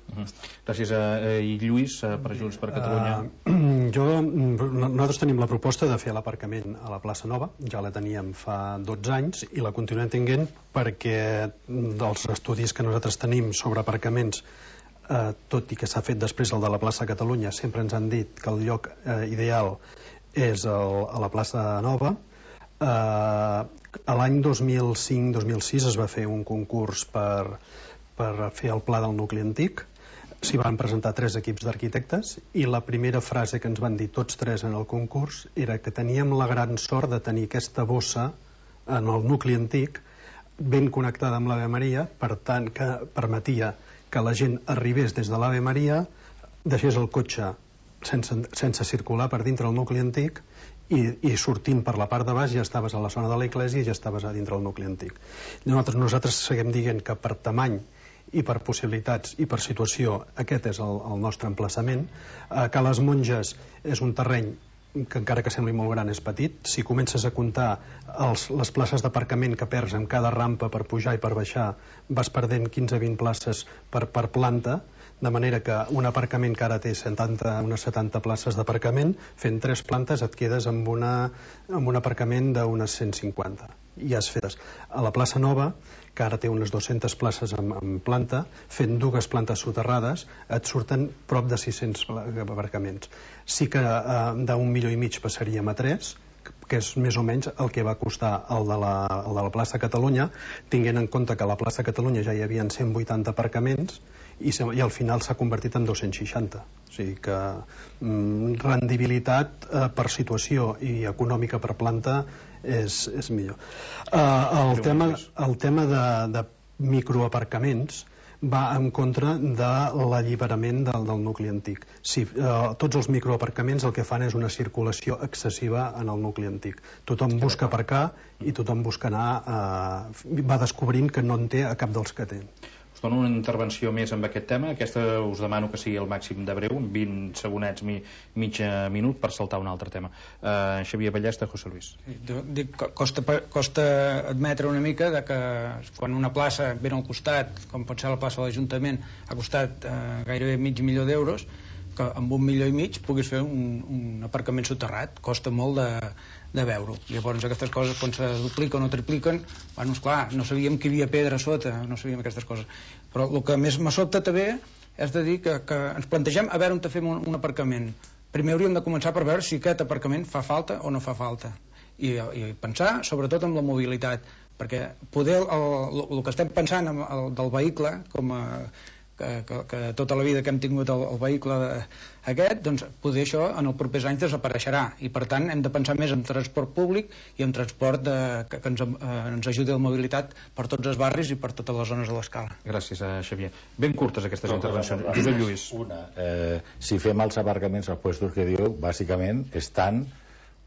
Uh-huh. Gràcies a, a i Lluís per Junts per Catalunya. Uh, jo, nosaltres tenim la proposta de fer l'aparcament a la plaça Nova, ja la teníem fa dotze anys i la continuem tinguent perquè dels estudis que nosaltres tenim sobre aparcaments, uh, tot i que s'ha fet després el de la plaça Catalunya, sempre ens han dit que el lloc uh, ideal és el, a la plaça Nova. Uh, a l'any dos mil cinc dos mil sis es va fer un concurs per, per fer el pla del nucli antic. S'hi van presentar tres equips d'arquitectes i la primera frase que ens van dir tots tres en el concurs era que teníem la gran sort de tenir aquesta bossa en el nucli antic ben connectada amb l'Ave Maria, per tant que permetia que la gent arribés des de l'Ave Maria, deixés el cotxe sense, sense circular per dintre el nucli antic i, i sortint per la part de baix ja estaves a la zona de l'església i ja estaves a dintre el nucli antic. Nosaltres, nosaltres seguim dient que per tamany i per possibilitats i per situació aquest és el, el nostre emplaçament. eh, que les Monges és un terreny que encara que sembli molt gran és petit. Si comences a comptar els, les places d'aparcament que perds en cada rampa per pujar i per baixar, vas perdent quinze a vint places per, per planta, de manera que un aparcament que ara té setanta, unes setanta places d'aparcament, fent tres plantes et quedes amb, una, amb un aparcament d'unes cent cinquanta i ja has fetes. A la plaça Nova, que ara té unes dues-centes places en, en planta, fent dues plantes soterrades et surten prop de sis-cents aparcaments. Sí que eh, d'un milió i mig passaríem a tres, que és més o menys el que va costar el de la, el de la plaça Catalunya, tinguent en compte que a la plaça Catalunya ja hi havia cent vuitanta aparcaments i, se, i al final s'ha convertit en dos-cents seixanta. O sigui que mm, rendibilitat eh, per situació i econòmica per planta és, és millor. Eh, el, tema, el tema de, de microaparcaments va en contra de l'alliberament del, del nucli antic. Sí, eh, tots els microaparcaments el que fan és una circulació excessiva en el nucli antic. Tothom busca aparcar i tothom busca anar, eh, va descobrint que no en té a cap dels que té. Us dono una intervenció més amb aquest tema. Aquesta us demano que sigui el màxim de breu, vint segonets, mi, mig minut, per saltar un altre tema. Uh, Xavier Ballesta, José Luis. Dic, costa, costa admetre una mica de que quan una plaça ben al costat, com pot ser la plaça de l'Ajuntament, ha costat uh, gairebé mig milió d'euros, que amb un milió i mig puguis fer un, un aparcament soterrat. Costa molt de, de veure-ho. Llavors aquestes coses quan se dupliquen o tripliquen, bueno, esclar, no sabíem que hi havia pedra a sota, no sabíem aquestes coses. Però el que més me sobta també és de dir que, que ens plantegem a veure on te fem un, un aparcament. Primer hauríem de començar per veure si aquest aparcament fa falta o no fa falta. i, i pensar sobretot en la mobilitat, perquè poder el, el, el que estem pensant en el, del vehicle, com a, que, que, que tota la vida que hem tingut el, el vehicle aquest, doncs poder això en els propers anys desapareixerà, i per tant hem de pensar més en transport públic i en transport de, que, que ens, eh, ens ajudi a la mobilitat per tots els barris i per totes les zones de l'escala. Gràcies, a Xavier. Ben curtes aquestes no, intervencions. No, no, no. Josep Lluís. Una, eh, si fem els aparcaments als puestos que diu, bàsicament estan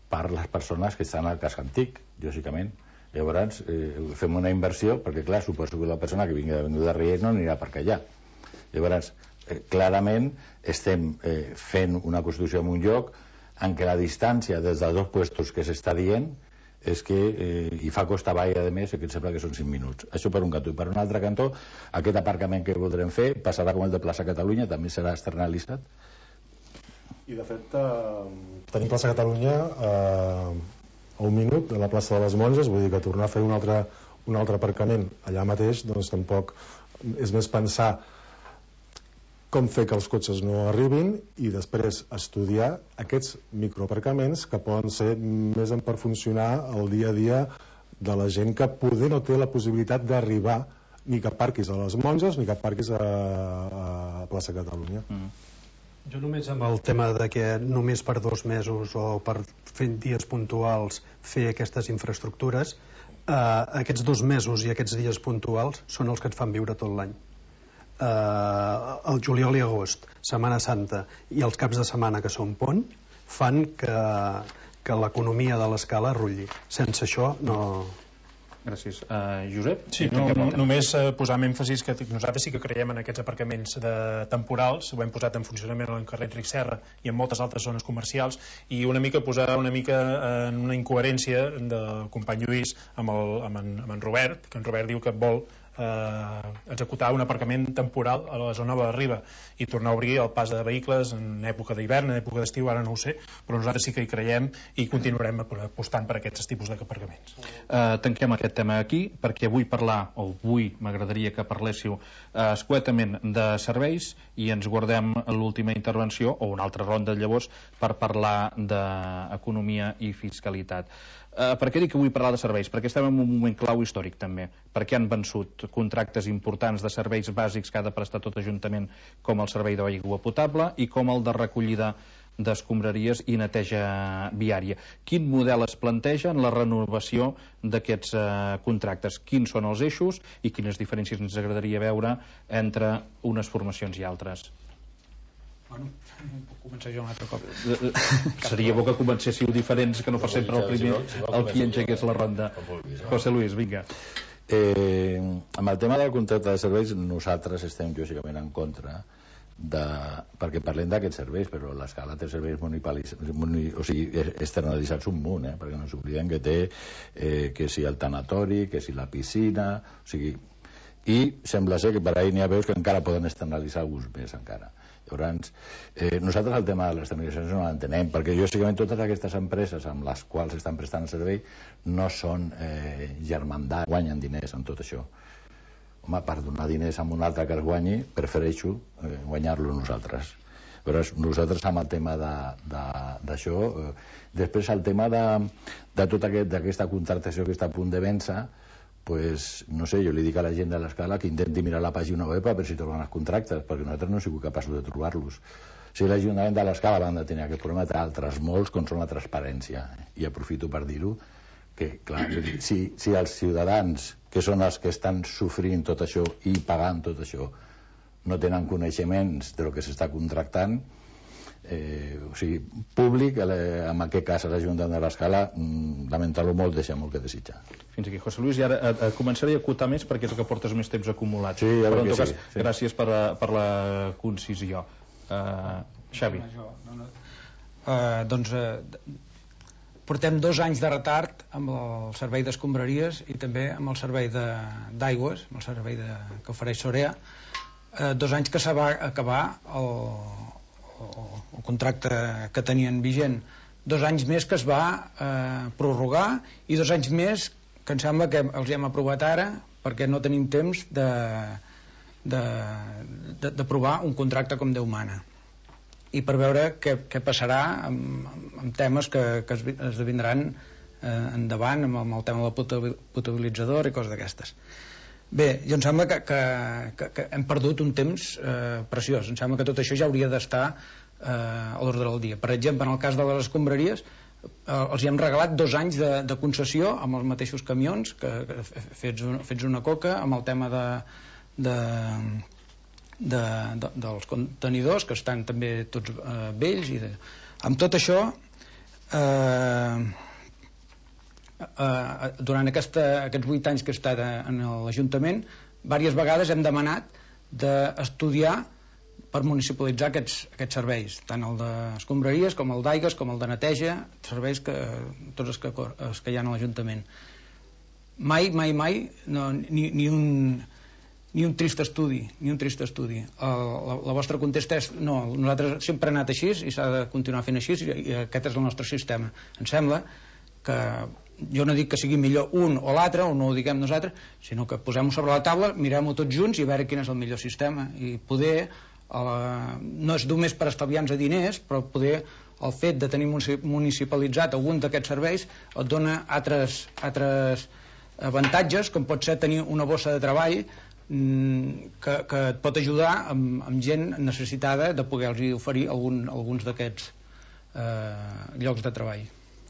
per les persones que estan al casc antic, lògicament. Llavors eh, fem una inversió, perquè clar, suposo que la persona que vingui de Avinguda Riells no anirà per allà. Llavors, eh, clarament estem eh, fent una construcció en un lloc en què la distància des dels dos puestos que s'està dient és que eh, hi fa costa avall, a més, que em sembla que són cinc minuts. Això per un cantó. I per un altre cantó, aquest aparcament que voldrem fer passarà com el de Plaça Catalunya, també serà externalitzat. I de fet eh, tenim Plaça Catalunya eh, a un minut de la plaça de les Monges, vull dir que tornar a fer un altre, un altre aparcament allà mateix, doncs tampoc és més pensar com fer que els cotxes no arribin i després estudiar aquests microaparcaments que poden ser més en per funcionar el dia a dia de la gent que poder no té la possibilitat d'arribar ni que parquis a les Monges ni que parquis a, a Plaça Catalunya. Mm. Jo només amb el tema de que només per dos mesos o per fer dies puntuals fer aquestes infraestructures, eh, aquests dos mesos i aquests dies puntuals són els que ens fan viure tot l'any. Eh, el juliol i agost, Setmana Santa i els caps de setmana que són pont fan que, que l'economia de l'escala rulli. Sense això no... Gràcies. Uh, Josep? Sí, no, no, només uh, posar amb èmfasis que nosaltres sí que creiem en aquests aparcaments de temporals, ho hem posat en funcionament al carrer Enric Serra i en moltes altres zones comercials, i una mica posar una mica en una incoherència del company Lluís amb, el, amb, en, amb en Robert, que en Robert diu que vol eh, executar un aparcament temporal a la zona de la Riba i tornar a obrir el pas de vehicles en època d'hivern, en època d'estiu, ara no ho sé, però nosaltres sí que hi creiem i continuarem apostant per aquests tipus d'aparcaments. Uh, tanquem aquest tema aquí, perquè vull parlar, o avui m'agradaria que parléssiu uh, escuetament de serveis i ens guardem l'última intervenció o una altra ronda llavors per parlar d'economia i fiscalitat. Uh, per què dic que vull parlar de serveis? Perquè estem en un moment clau històric també, perquè han vençut contractes importants de serveis bàsics que ha de prestar tot Ajuntament, com el servei d'aigua potable i com el de recollida d'escombraries i neteja viària. Quin model es planteja en la renovació d'aquests eh, contractes? Quins són els eixos i quines diferències ens agradaria veure entre unes formacions i altres? Bueno, puc començar jo un altre cop. Seria bo que comencéssiu diferents, que no fos sempre el primer el qui engegués la ronda. José Luis, vinga. Eh, amb el tema del contracte de serveis nosaltres estem lògicament en contra de, perquè parlem d'aquests serveis, però l'Escala té serveis o sigui, externalitzats un munt, eh? Perquè no ens oblidem que té eh, que si el tanatori, que si la piscina, o sigui, i sembla ser que per ahir n'hi ha veus que encara poden externalitzar alguns més encara. Llavors, eh, nosaltres el tema de les externalitzacions no l'entenem, perquè lògicament totes aquestes empreses amb les quals estan prestant el servei no són eh, germandats, guanyen diners en tot això. Home, per donar diners a un altre que es guanyi, prefereixo eh, guanyar-lo nosaltres. Però nosaltres amb el tema d'això, eh, després el tema de, de tota aquesta aquest, contractació que està a punt de vèncer, pues, no sé, jo li dic a la gent de l'Escala que intenti mirar la pàgina web a veure si troben els contractes, perquè nosaltres no hem sigut capaços de trobar-los. Si l'Ajuntament de l'Escala van de tenir aquest problema, té altres molts, com són la transparència. I aprofito per dir-ho, que clar, si, si els ciutadans, que són els que estan sofrint tot això i pagant tot això, no tenen coneixements del que s'està contractant, eh, o sigui, públic, en aquest cas l'Ajuntament de l'Escala, lamentar-lo molt, deixa molt que desitjar. Fins aquí, José Luis, i ara a, a començaré a acotar més perquè és el que portes més temps acumulat. Sí, ja però en tot cas, sí, sí. Gràcies per, a, per la concisió. Uh, Xavi. Uh, doncs uh, portem dos anys de retard amb el servei d'escombraries i també amb el servei d'aigües, amb el servei de, que ofereix Sorea, uh, dos anys que se va acabar el, el, el contracte que tenien vigent, dos anys més que es va eh, prorrogar i dos anys més que em sembla que els hem aprovat ara perquè no tenim temps de d'aprovar un contracte com Déu mana i per veure què, què passarà amb, amb temes que, que es esdevindran endavant amb el tema de la potabilitzadora i coses d'aquestes. Bé, jo em sembla que, que, que, que hem perdut un temps eh, preciós. Em sembla que tot això ja hauria d'estar eh, a l'ordre del dia. Per exemple, en el cas de les escombraries, eh, els hi hem regalat dos anys de, de concessió amb els mateixos camions, que, que fets, un, fets una coca, amb el tema de, de, de, de, dels contenidors, que estan també tots eh, vells. I de... Amb tot això... Eh, Uh, durant aquesta, aquests vuit anys que he estat en l'Ajuntament, diverses vegades hem demanat d'estudiar per municipalitzar aquests, aquests serveis, tant el d'escombraries com el d'aigues com el de neteja, serveis que tots els que, els que hi ha a l'Ajuntament. Mai, mai, mai no, ni, ni un ni un trist estudi, ni un trist estudi. El, la, la vostra contesta és no, nosaltres sempre hem anat així i s'ha de continuar fent així i, i aquest és el nostre sistema. Em sembla que jo no dic que sigui millor un o l'altre, o no ho diguem nosaltres, sinó que posem-ho sobre la taula, mirem-ho tots junts i a veure quin és el millor sistema. I poder, eh, no és només per estalviar-nos diners, però poder el fet de tenir municipalitzat algun d'aquests serveis et dona altres, altres avantatges, com pot ser tenir una bossa de treball mm, que, que et pot ajudar amb, amb gent necessitada de poder-los oferir algun, alguns d'aquests eh, llocs de treball.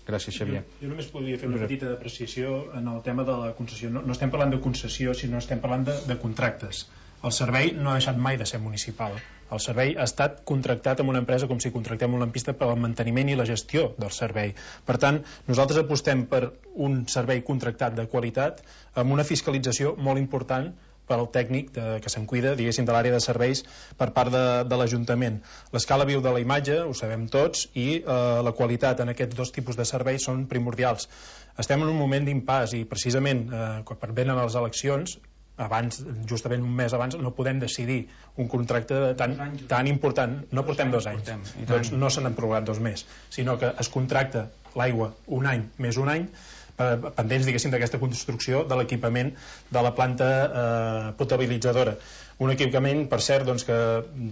Gràcies, Xavier. Jo, jo només podria fer una petita apreciació en el tema de la concessió. No, no estem parlant de concessió, sinó estem parlant de, de contractes. El servei no ha deixat mai de ser municipal. El servei ha estat contractat amb una empresa com si contractem una lampista per al manteniment i la gestió del servei. Per tant, nosaltres apostem per un servei contractat de qualitat amb una fiscalització molt important per al tècnic de, que se'n cuida, diguéssim, de l'àrea de serveis per part de, de l'Ajuntament. L'escala viu de la imatge, ho sabem tots, i eh, la qualitat en aquests dos tipus de serveis són primordials. Estem en un moment d'impàs i precisament eh, quan venen les eleccions, abans, justament un mes abans, no podem decidir un contracte tan, tan important. No portem dos anys, doncs no se n'han prorrogat dos més, sinó que es contracta l'aigua un any més un any, pendents, diguéssim, d'aquesta construcció de l'equipament de la planta eh, potabilitzadora. Un equipament, per cert, doncs, que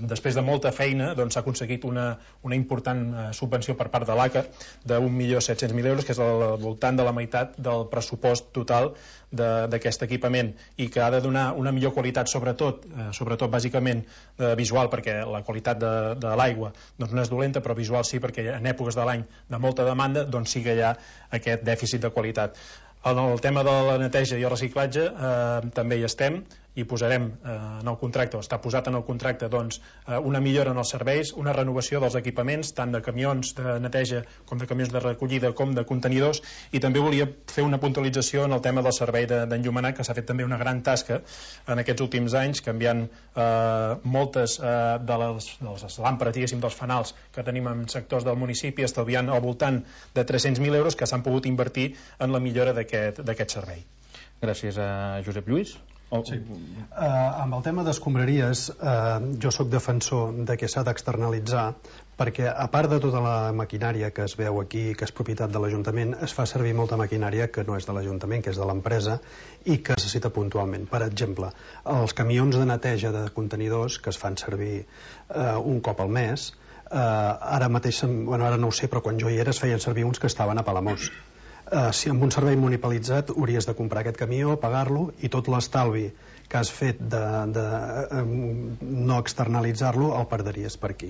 després de molta feina doncs, s'ha aconseguit una, una important eh, subvenció per part de l'A C A d'un milió set-cents mil euros, que és al voltant de la meitat del pressupost total d'aquest equipament, i que ha de donar una millor qualitat, sobretot, eh, sobretot bàsicament eh, visual, perquè la qualitat de, de l'aigua doncs, no és dolenta, però visual sí, perquè en èpoques de l'any de molta demanda doncs, sí que hi ha aquest dèficit de qualitat. En el tema de la neteja i el reciclatge eh, també hi estem i posarem eh, en el contracte, o està posat en el contracte, doncs, eh, una millora en els serveis, una renovació dels equipaments, tant de camions de neteja com de camions de recollida com de contenidors, i també volia fer una puntualització en el tema del servei d'enllumenat, que s'ha fet també una gran tasca en aquests últims anys, canviant eh, moltes eh, de les, de les làmperes, diguéssim, dels fanals que tenim en sectors del municipi, estalviant al voltant de tres-cents mil euros que s'han pogut invertir en la millora d'aquest d'aquest servei. Gràcies a Josep Lluís. Oh. Sí. Uh, amb el tema d'escombraries, uh, jo sóc defensor de que s'ha d'externalitzar, perquè a part de tota la maquinària que es veu aquí, que és propietat de l'Ajuntament, es fa servir molta maquinària que no és de l'Ajuntament, que és de l'empresa i que necessita puntualment. Per exemple, els camions de neteja de contenidors que es fan servir uh, un cop al mes, uh, ara mateix, bueno, ara no ho sé, però quan jo hi era es feien servir uns que estaven a Palamós. Uh, si amb un servei municipalitzat hauries de comprar aquest camió, pagar-lo, i tot l'estalvi que has fet de, de um, no externalitzar-lo el perdries per aquí.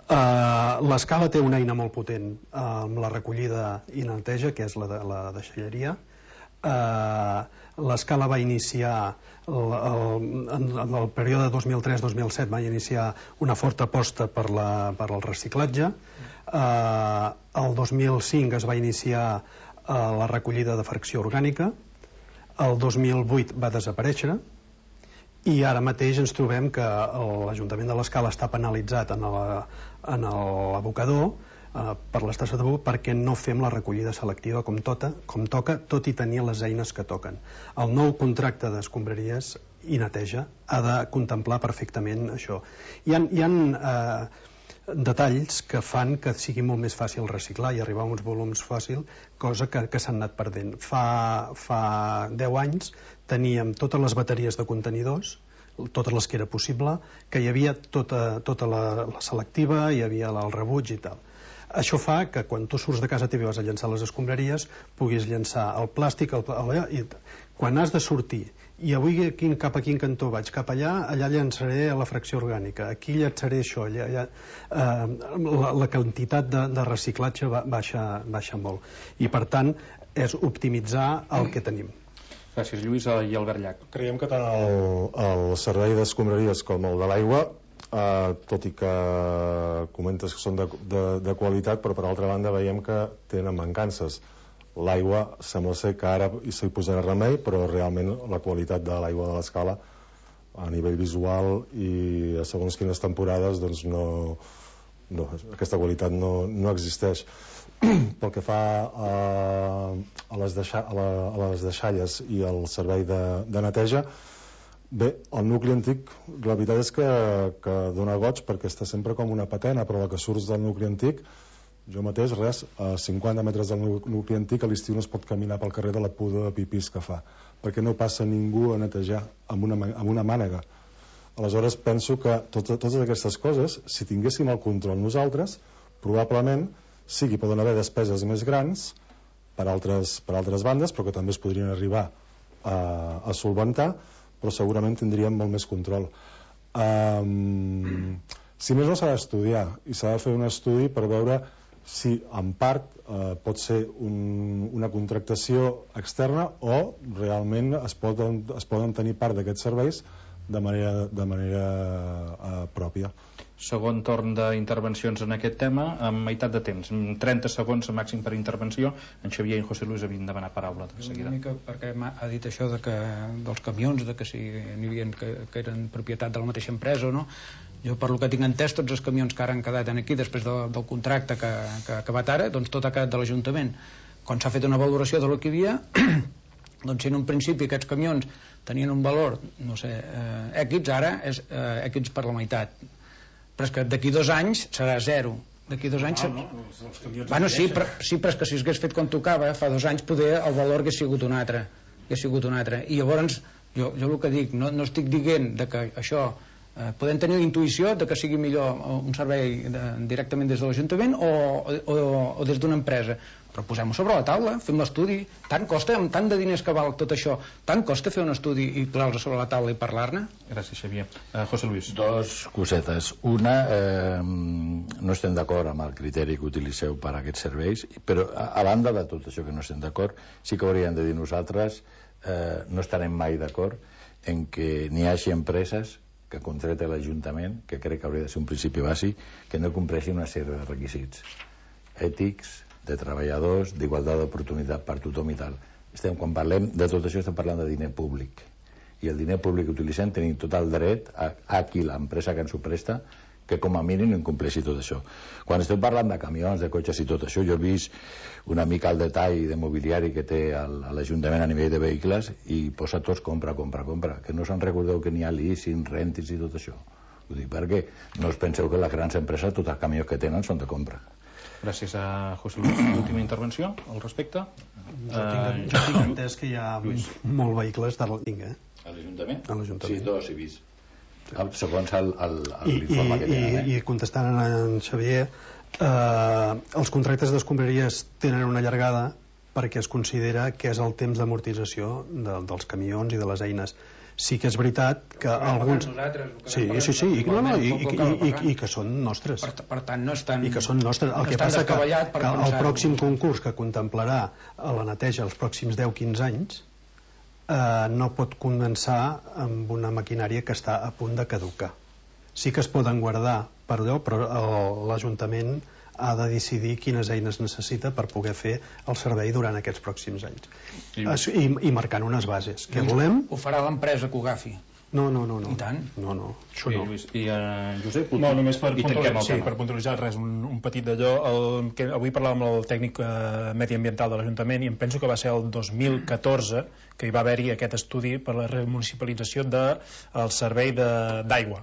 Uh, L'escala té una eina molt potent uh, amb la recollida i neteja, que és la de la deixalleria. Uh, L'escala va iniciar el, el, en el període dos mil tres dos mil set va iniciar una forta aposta per, la, per el reciclatge. Uh, el dos mil cinc es va iniciar uh, la recollida de fracció orgànica. El dos mil vuit va desaparèixer i ara mateix ens trobem que l'Ajuntament de l'Escala està penalitzat en l'abocador uh, per l'estació de Buc perquè no fem la recollida selectiva com, tota, com toca, tot i tenir les eines que toquen. El nou contracte d'escombraries i neteja ha de contemplar perfectament això. Hi ha, hi ha uh, detalls que fan que sigui molt més fàcil reciclar i arribar a uns volums fàcil, cosa que, que s'han anat perdent. Fa, fa deu anys teníem totes les bateries de contenidors, totes les que era possible, que hi havia tota, tota la, la selectiva, hi havia el rebuig i tal. Això fa que quan tu surts de casa teva i vas a llançar les escombraries puguis llançar el plàstic, el, el, i quan has de sortir i avui quin, cap a quin cantó vaig, cap allà, allà llançaré la fracció orgànica, aquí llançaré això, allà, allà, eh, la, la quantitat de, de reciclatge ba, baixa, baixa molt. I per tant, és optimitzar el que tenim. Gràcies, Lluís. I Albert Llach. Creiem que tant el, el servei d'escombraries com el de l'aigua, eh, tot i que comentes que són de, de, de qualitat, però per altra banda veiem que tenen mancances. L'aigua sembla ser que ara s'hi posarà remei, però realment la qualitat de l'aigua de l'Escala a nivell visual i a segons quines temporades doncs no, no, aquesta qualitat no, no existeix. Pel que fa a, a, les, deixa, a, la, a les deixalles i el servei de, de neteja, bé, el nucli antic la veritat és que, que dona goig perquè està sempre com una patena, però la que surts del nucli antic, jo mateix, res, a cinquanta metres del nucli antic a l'estiu no es pot caminar pel carrer de la pudor de pipís que fa, perquè no passa ningú a netejar amb una, amb una mànega. Aleshores penso que tot, totes aquestes coses, si tinguéssim el control nosaltres, probablement sí que poden haver despeses més grans per altres, per altres bandes, però que també es podrien arribar a, a solventar, però segurament tindríem molt més control. Um, si més no s'ha d'estudiar, i s'ha de fer un estudi per veure si en part eh, pot ser un, una contractació externa o realment es poden, es poden tenir part d'aquests serveis de manera, de manera eh, pròpia. Segon torn d'intervencions en aquest tema, amb meitat de temps, trenta segons màxim per intervenció. En Xavier i en José Luis havien demanat paraula de seguida. Una mica perquè ha dit això de que, dels camions, de que si n'hi havia que, que eren propietat de la mateixa empresa o no. Jo, per lo que tinc entès, tots els camions que ara han quedat aquí després de, del contracte que, que ha acabat ara, doncs tot ha quedat de l'Ajuntament. Quan s'ha fet una valoració de lo que hi havia, doncs si en un principi aquests camions tenien un valor, no sé, eh, X, ara és eh, X per la meitat. Però és que d'aquí dos anys serà zero. D'aquí dos anys... No, no, els, els bueno, sí, però, sí, però és que si s'hagués fet quan tocava, fa dos anys poder el valor hagués sigut un altre. Hagués sigut un altre. I llavors, jo, jo el que dic, no, no estic dient de que això... Eh, podem tenir la intuïció de que sigui millor un servei de, directament des de l'Ajuntament o, o, o des d'una empresa, però posem-ho sobre la taula, fem l'estudi. Tant costa, amb tant de diners que val tot això, tant costa fer un estudi i posar-lo sobre la taula i parlar-ne? Gràcies, Xavier. Uh, José Luis. Dos cosetes. Una, eh, no estem d'acord amb el criteri que utilitzeu per a aquests serveis, però a, a banda de tot això que no estem d'acord, sí que hauríem de dir nosaltres, eh, no estarem mai d'acord en que n'hi hagi empreses que contracta l'Ajuntament, que crec que hauria de ser un principi bàsic, que no compleixin una sèrie de requisits ètics, de treballadors, d'igualtat d'oportunitat per tothom i tal. Estem, quan parlem de tot això estem parlant de diner públic, i el diner públic que utilitzem tenim tot el dret a, a qui l'empresa que ens ho presta que com a mínim incompleixi tot això. Quan estem parlant de camions, de cotxes i tot això, jo he vist una mica el detall de mobiliari que té l'Ajuntament a nivell de vehicles i posa tots compra, compra, compra, que no se'n recordeu que n'hi ha leasing, rentis i tot això. Ho dic perquè no us penseu que les grans empreses tots els camions que tenen són de compra. Gràcies a José Luis. Última intervenció al respecte. Jo tinc, jo tinc entès que hi ha molts vehicles de l'Inga. A l'Ajuntament? A l'Ajuntament. Sí, dos he vist. Segons l'informe que tenen. I, i contestant a en Xavier, eh, els contractes d'escombraries tenen una llargada perquè es considera que és el temps d'amortització de, dels camions i de les eines. Sí que és veritat que alguns... Sí, sí, sí, i, no, no, i, i, i, i, i que són nostres. Per, per tant, no estan... I que són nostres. El que passa que, que el pròxim concurs que contemplarà la neteja els pròxims deu quinze anys eh, no pot començar amb una maquinària que està a punt de caducar. Sí que es poden guardar per allò, però l'Ajuntament ha de decidir quines eines necessita per poder fer el servei durant aquests pròxims anys. I, I, i marcant unes bases. Què volem? Ho farà l'empresa que ho agafi. No, no, no, no. I tant? No, no, això I, no. Lluís, i uh, Josep, no, només per, puntualitzar, sí, per puntualitzar res, un, un petit d'allò. El, que avui parlàvem amb el tècnic eh, mediambiental de l'Ajuntament i em penso que va ser el dos mil catorze que hi va haver-hi aquest estudi per la remunicipalització del de, servei d'aigua.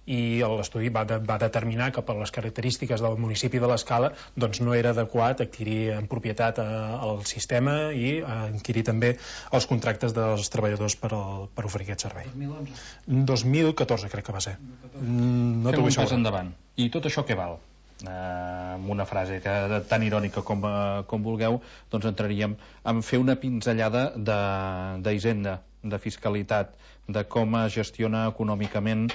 I l'estudi va, de, va determinar que per les característiques del municipi de l'Escala doncs no era adequat adquirir en propietat el sistema i adquirir també els contractes dels treballadors per, al, per oferir aquest servei. dos mil onze? dos mil catorze crec que va ser. No Fem un pas endavant. I tot això què val? eh, amb una frase que, tan irònica com, eh, com vulgueu, doncs entraríem en fer una pinzellada d'Hisenda, de, de fiscalitat, de com es gestiona econòmicament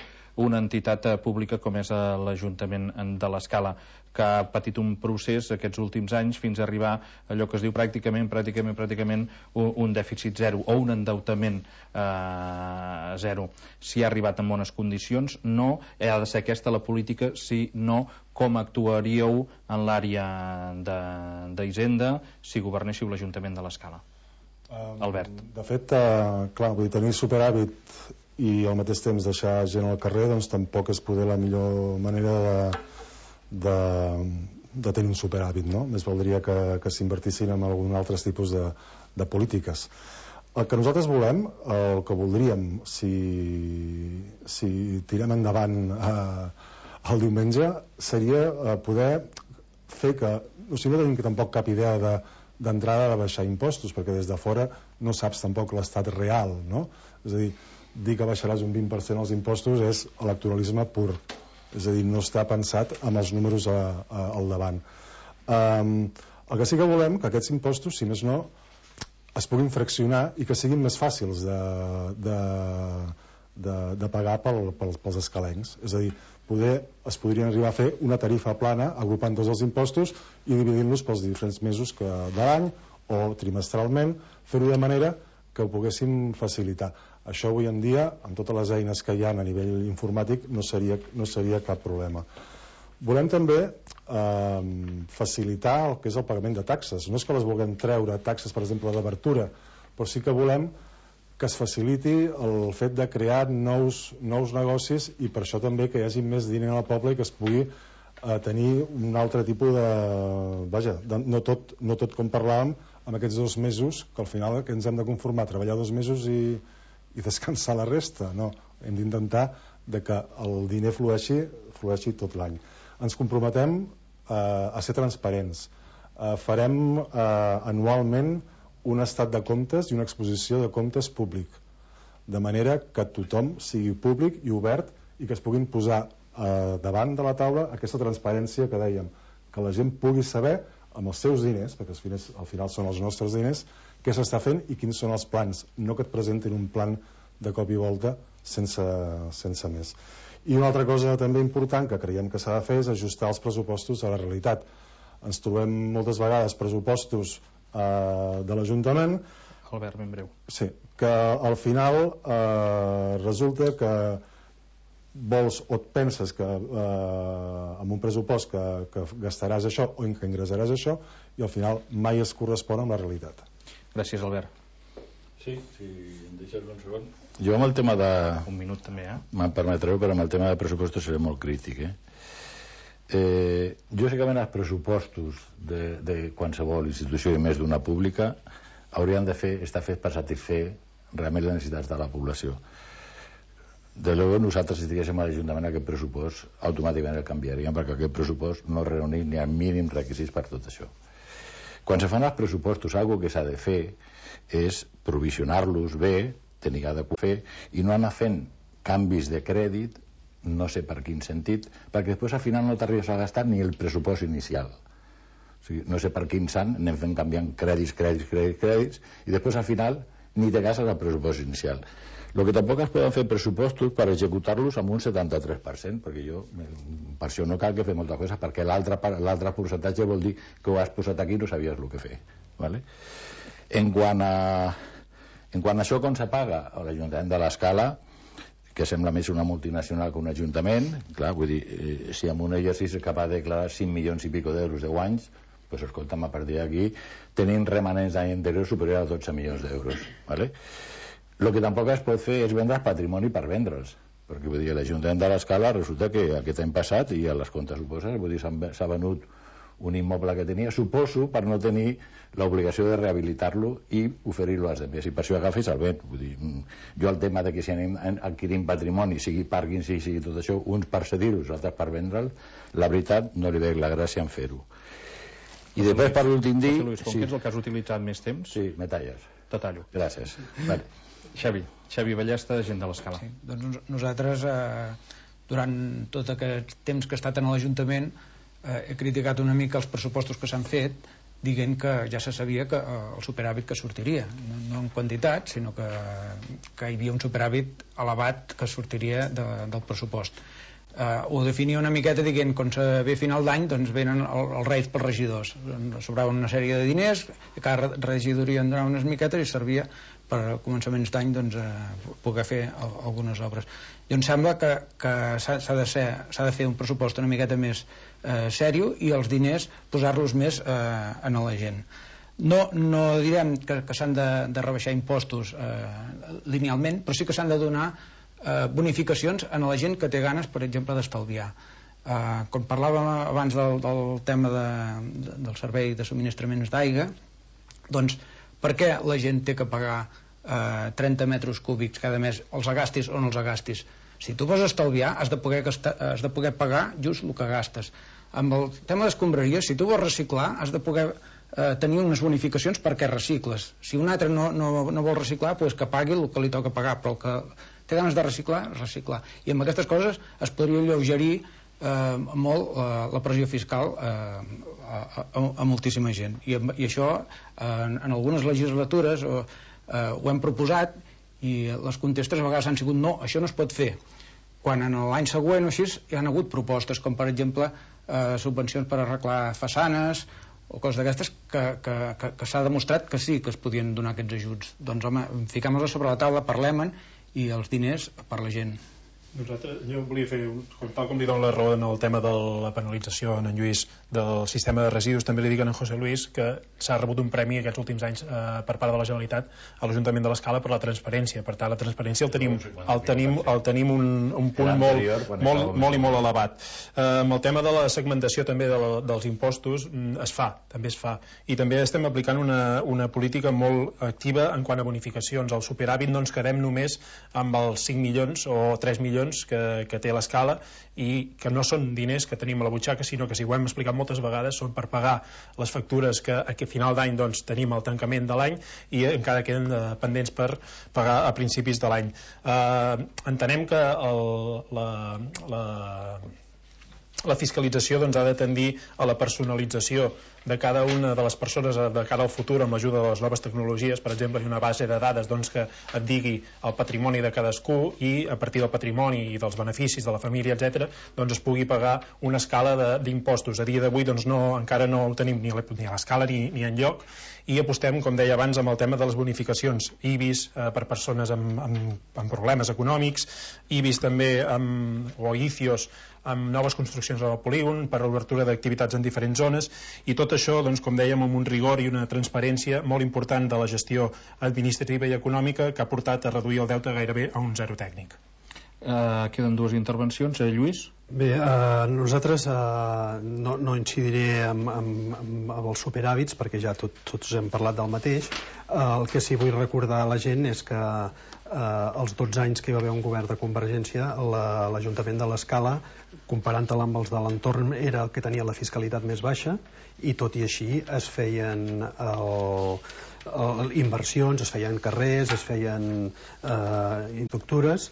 una entitat pública com és l'Ajuntament de l'Escala, que ha patit un procés aquests últims anys fins a arribar a allò que es diu pràcticament, pràcticament, pràcticament un, un dèficit zero o un endeutament eh, zero. Si ha arribat en bones condicions, no ha de ser aquesta la política, si no, com actuaríeu en l'àrea d'Hisenda si governéssiu l'Ajuntament de l'Escala? Um, Albert. De fet, uh, clar, vull dir, tenir superàvit i al mateix temps deixar gent al carrer, doncs tampoc és poder la millor manera de, de, de tenir un superàvit, no? Més valdria que, que s'invertissin en algun altres tipus de, de polítiques. El que nosaltres volem, el que voldríem, si, si tirem endavant eh, el diumenge, seria eh, poder fer que, o sigui, no tenim tampoc cap idea de d'entrada de baixar impostos, perquè des de fora no saps tampoc l'estat real, no? És a dir, dir que baixaràs un vint per cent els impostos és electoralisme pur, és a dir, no està pensat amb els números a, a, al davant. Um, el que sí que volem que aquests impostos, si més no, es puguin fraccionar i que siguin més fàcils de, de, de, de pagar pel, pel, pels escalencs. És a dir, poder, es podrien arribar a fer una tarifa plana agrupant tots els impostos i dividint-los pels diferents mesos que, de l'any o trimestralment, fer-ho de manera que ho poguéssim facilitar. Això avui en dia, amb totes les eines que hi ha a nivell informàtic, no seria, no seria cap problema. Volem també eh, facilitar el que és el pagament de taxes. No és que les vulguem treure, taxes, per exemple, d'obertura, però sí que volem que es faciliti el fet de crear nous, nous negocis i per això també que hi hagi més diner al poble i que es pugui eh, tenir un altre tipus de... Vaja, de, no, tot, no tot com parlàvem amb aquests dos mesos, que al final que ens hem de conformar, treballar dos mesos i, i descansar la resta. No, hem d'intentar que el diner flueixi, flueixi tot l'any. Ens comprometem eh, a ser transparents. Eh, farem eh, anualment un estat de comptes i una exposició de comptes públic, de manera que tothom sigui públic i obert i que es puguin posar eh, davant de la taula aquesta transparència que dèiem, que la gent pugui saber amb els seus diners, perquè al final, al final són els nostres diners, què s'està fent i quins són els plans, no que et presentin un plan de cop i volta sense, sense més. I una altra cosa també important que creiem que s'ha de fer és ajustar els pressupostos a la realitat. Ens trobem moltes vegades pressupostos Uh, de l'Ajuntament, Albert, ben breu. Sí, que al final uh, resulta que vols o et penses que uh, amb un pressupost que, que gastaràs això o que ingressaràs això i al final mai es correspon amb la realitat. Gràcies, Albert. Sí, si em deixes un segon. Jo amb el tema de... Un minut també, eh? Me'n permetreu, però amb el tema de pressupostos seré molt crític, eh? Eh, jo sé que els pressupostos de, de qualsevol institució i més d'una pública haurien de fer, estar fets per satisfer realment les necessitats de la població. De llavors nosaltres si estiguéssim a l'Ajuntament aquest pressupost automàticament el canviaríem perquè aquest pressupost no reuneix ni el mínim requisits per tot això. Quan se fan els pressupostos algo que s'ha de fer és provisionar-los bé, tenir de fer i no anar fent canvis de crèdit no sé per quin sentit, perquè després al final no t'arribes a gastar ni el pressupost inicial. O sigui, no sé per quin sant anem fent canviant crèdits, crèdits, crèdits, crèdits, i després al final ni te gastes el pressupost inicial. El que tampoc es poden fer pressupostos per executar-los amb un setanta-tres per cent, perquè jo, per això no cal que fer moltes coses, perquè l'altre percentatge vol dir que ho has posat aquí i no sabies el que fer. ¿Vale? En quant a, en quant a això, com se paga a l'Ajuntament de l'Escala, que sembla més una multinacional que un ajuntament, clar, vull dir, eh, si amb un exercici és capaç de declarar cinc milions i pico d'euros de guanys, doncs escolta'm, a partir d'aquí tenim remanents d'any anterior superior a dotze milions d'euros, ¿vale? El que tampoc es pot fer és vendre el patrimoni per vendre'ls, perquè vull dir, l'Ajuntament de l'Escala resulta que aquest any passat, i a les comptes ho poses, vull dir, s'ha venut un immoble que tenia, suposo, per no tenir l'obligació de rehabilitar-lo i oferir-lo als altres, i per això agafis el vent. Vull dir, jo el tema de que si anem adquirint patrimoni, sigui pàrquing, sigui, sigui tot això, uns per cedir-los, altres per vendre'l, la veritat no li veig la gràcia en fer-ho. I després per l'últim dir... José Luis, com sí. que és el que has utilitzat més temps... Sí, me talles. Te tallo. Gràcies. Vale. Xavi, Xavi Ballesta, gent de l'Escala. Sí, doncs nosaltres, eh, durant tot aquest temps que he estat en l'Ajuntament, eh, he criticat una mica els pressupostos que s'han fet, dient que ja se sabia que eh, el superàvit que sortiria, no, no en quantitat, sinó que, que hi havia un superàvit elevat que sortiria de, del pressupost. Eh, ho definia una miqueta dient que quan se ve final d'any doncs venen el, els reis pels regidors, sobraven una sèrie de diners, cada regidoria en donava unes miquetes i servia per a començaments d'any doncs, eh, poder fer el, algunes obres. I em sembla que, que s'ha de, ser, s'ha de fer un pressupost una miqueta més eh, sèrio i els diners posar-los més eh, en la gent. No, no direm que, que s'han de, de rebaixar impostos eh, linealment, però sí que s'han de donar eh, bonificacions a la gent que té ganes, per exemple, d'estalviar. Eh, quan parlàvem abans del, del tema de, de, del servei de subministraments d'aigua, doncs per què la gent té que pagar eh, trenta metres cúbics cada mes, els agastis o no els agastis? Si tu vols estalviar, has de poder, gastar, has de poder pagar just el que gastes. Amb el tema d'escombraria, si tu vols reciclar, has de poder eh, tenir unes bonificacions perquè recicles. Si un altre no, no, no vol reciclar, doncs que pagui el que li toca pagar, però el que té ganes de reciclar, reciclar. I amb aquestes coses es podria alleugerir eh, molt eh, la pressió fiscal eh, a, a, a moltíssima gent. I, i això eh, en, en algunes legislatures eh, eh, ho hem proposat i les contestes a vegades han sigut no, això no es pot fer. Quan en l'any següent o així hi han hagut propostes, com per exemple eh, subvencions per arreglar façanes o coses d'aquestes que, que, que, que s'ha demostrat que sí que es podien donar aquests ajuts. Doncs home, fiquem-los sobre la taula, parlem-en i els diners per la gent. Nosaltres, jo volia fer, tal com li dono la raó en el tema de la penalització en en Lluís del sistema de residus, també li dic a en José Luis que s'ha rebut un premi aquests últims anys eh, per part de la Generalitat a l'Ajuntament de l'Escala per la transparència. Per tant, la transparència el tenim, el tenim, el tenim un, un punt molt, molt, molt i molt elevat. Eh, amb el tema de la segmentació també de la, dels impostos es fa, també es fa. I també estem aplicant una, una política molt activa en quant a bonificacions. Al superàvit no ens quedem només amb els cinc milions o tres milions que, que té l'Escala i que no són diners que tenim a la butxaca, sinó que, si ho hem explicat moltes vegades, són per pagar les factures que a final d'any doncs, tenim al tancament de l'any i encara queden eh, pendents per pagar a principis de l'any. Eh, entenem que el, la, la, la fiscalització doncs, ha de tendir a la personalització de cada una de les persones de cara al futur amb l'ajuda de les noves tecnologies. Per exemple, hi ha una base de dades doncs, que et digui el patrimoni de cadascú i a partir del patrimoni i dels beneficis de la família, etcètera, doncs es pugui pagar una escala d'impostos. A dia d'avui doncs, no, encara no ho tenim ni a l'escala ni, ni enlloc i apostem, com deia abans, amb el tema de les bonificacions. I B I S eh, per persones amb, amb, amb problemes econòmics, I B I S també amb, o I C I O S amb noves construccions al polígon per a l'obertura d'activitats en diferents zones i tot això, doncs, com dèiem, amb un rigor i una transparència molt important de la gestió administrativa i econòmica que ha portat a reduir el deute gairebé a un zero tècnic. Uh, queden dues intervencions. Eh, Lluís? Bé, eh, nosaltres eh, no, no incidiré amb, amb, amb els superàvits perquè ja tot, tots hem parlat del mateix. Eh, el que sí vull recordar a la gent és que eh, els dotze anys que hi va haver un govern de Convergència, l'Ajuntament la, de l'Escala, comparant-la amb els de l'entorn, era el que tenia la fiscalitat més baixa i tot i així es feien el, el, inversions, es feien carrers, es feien eh, infraestructures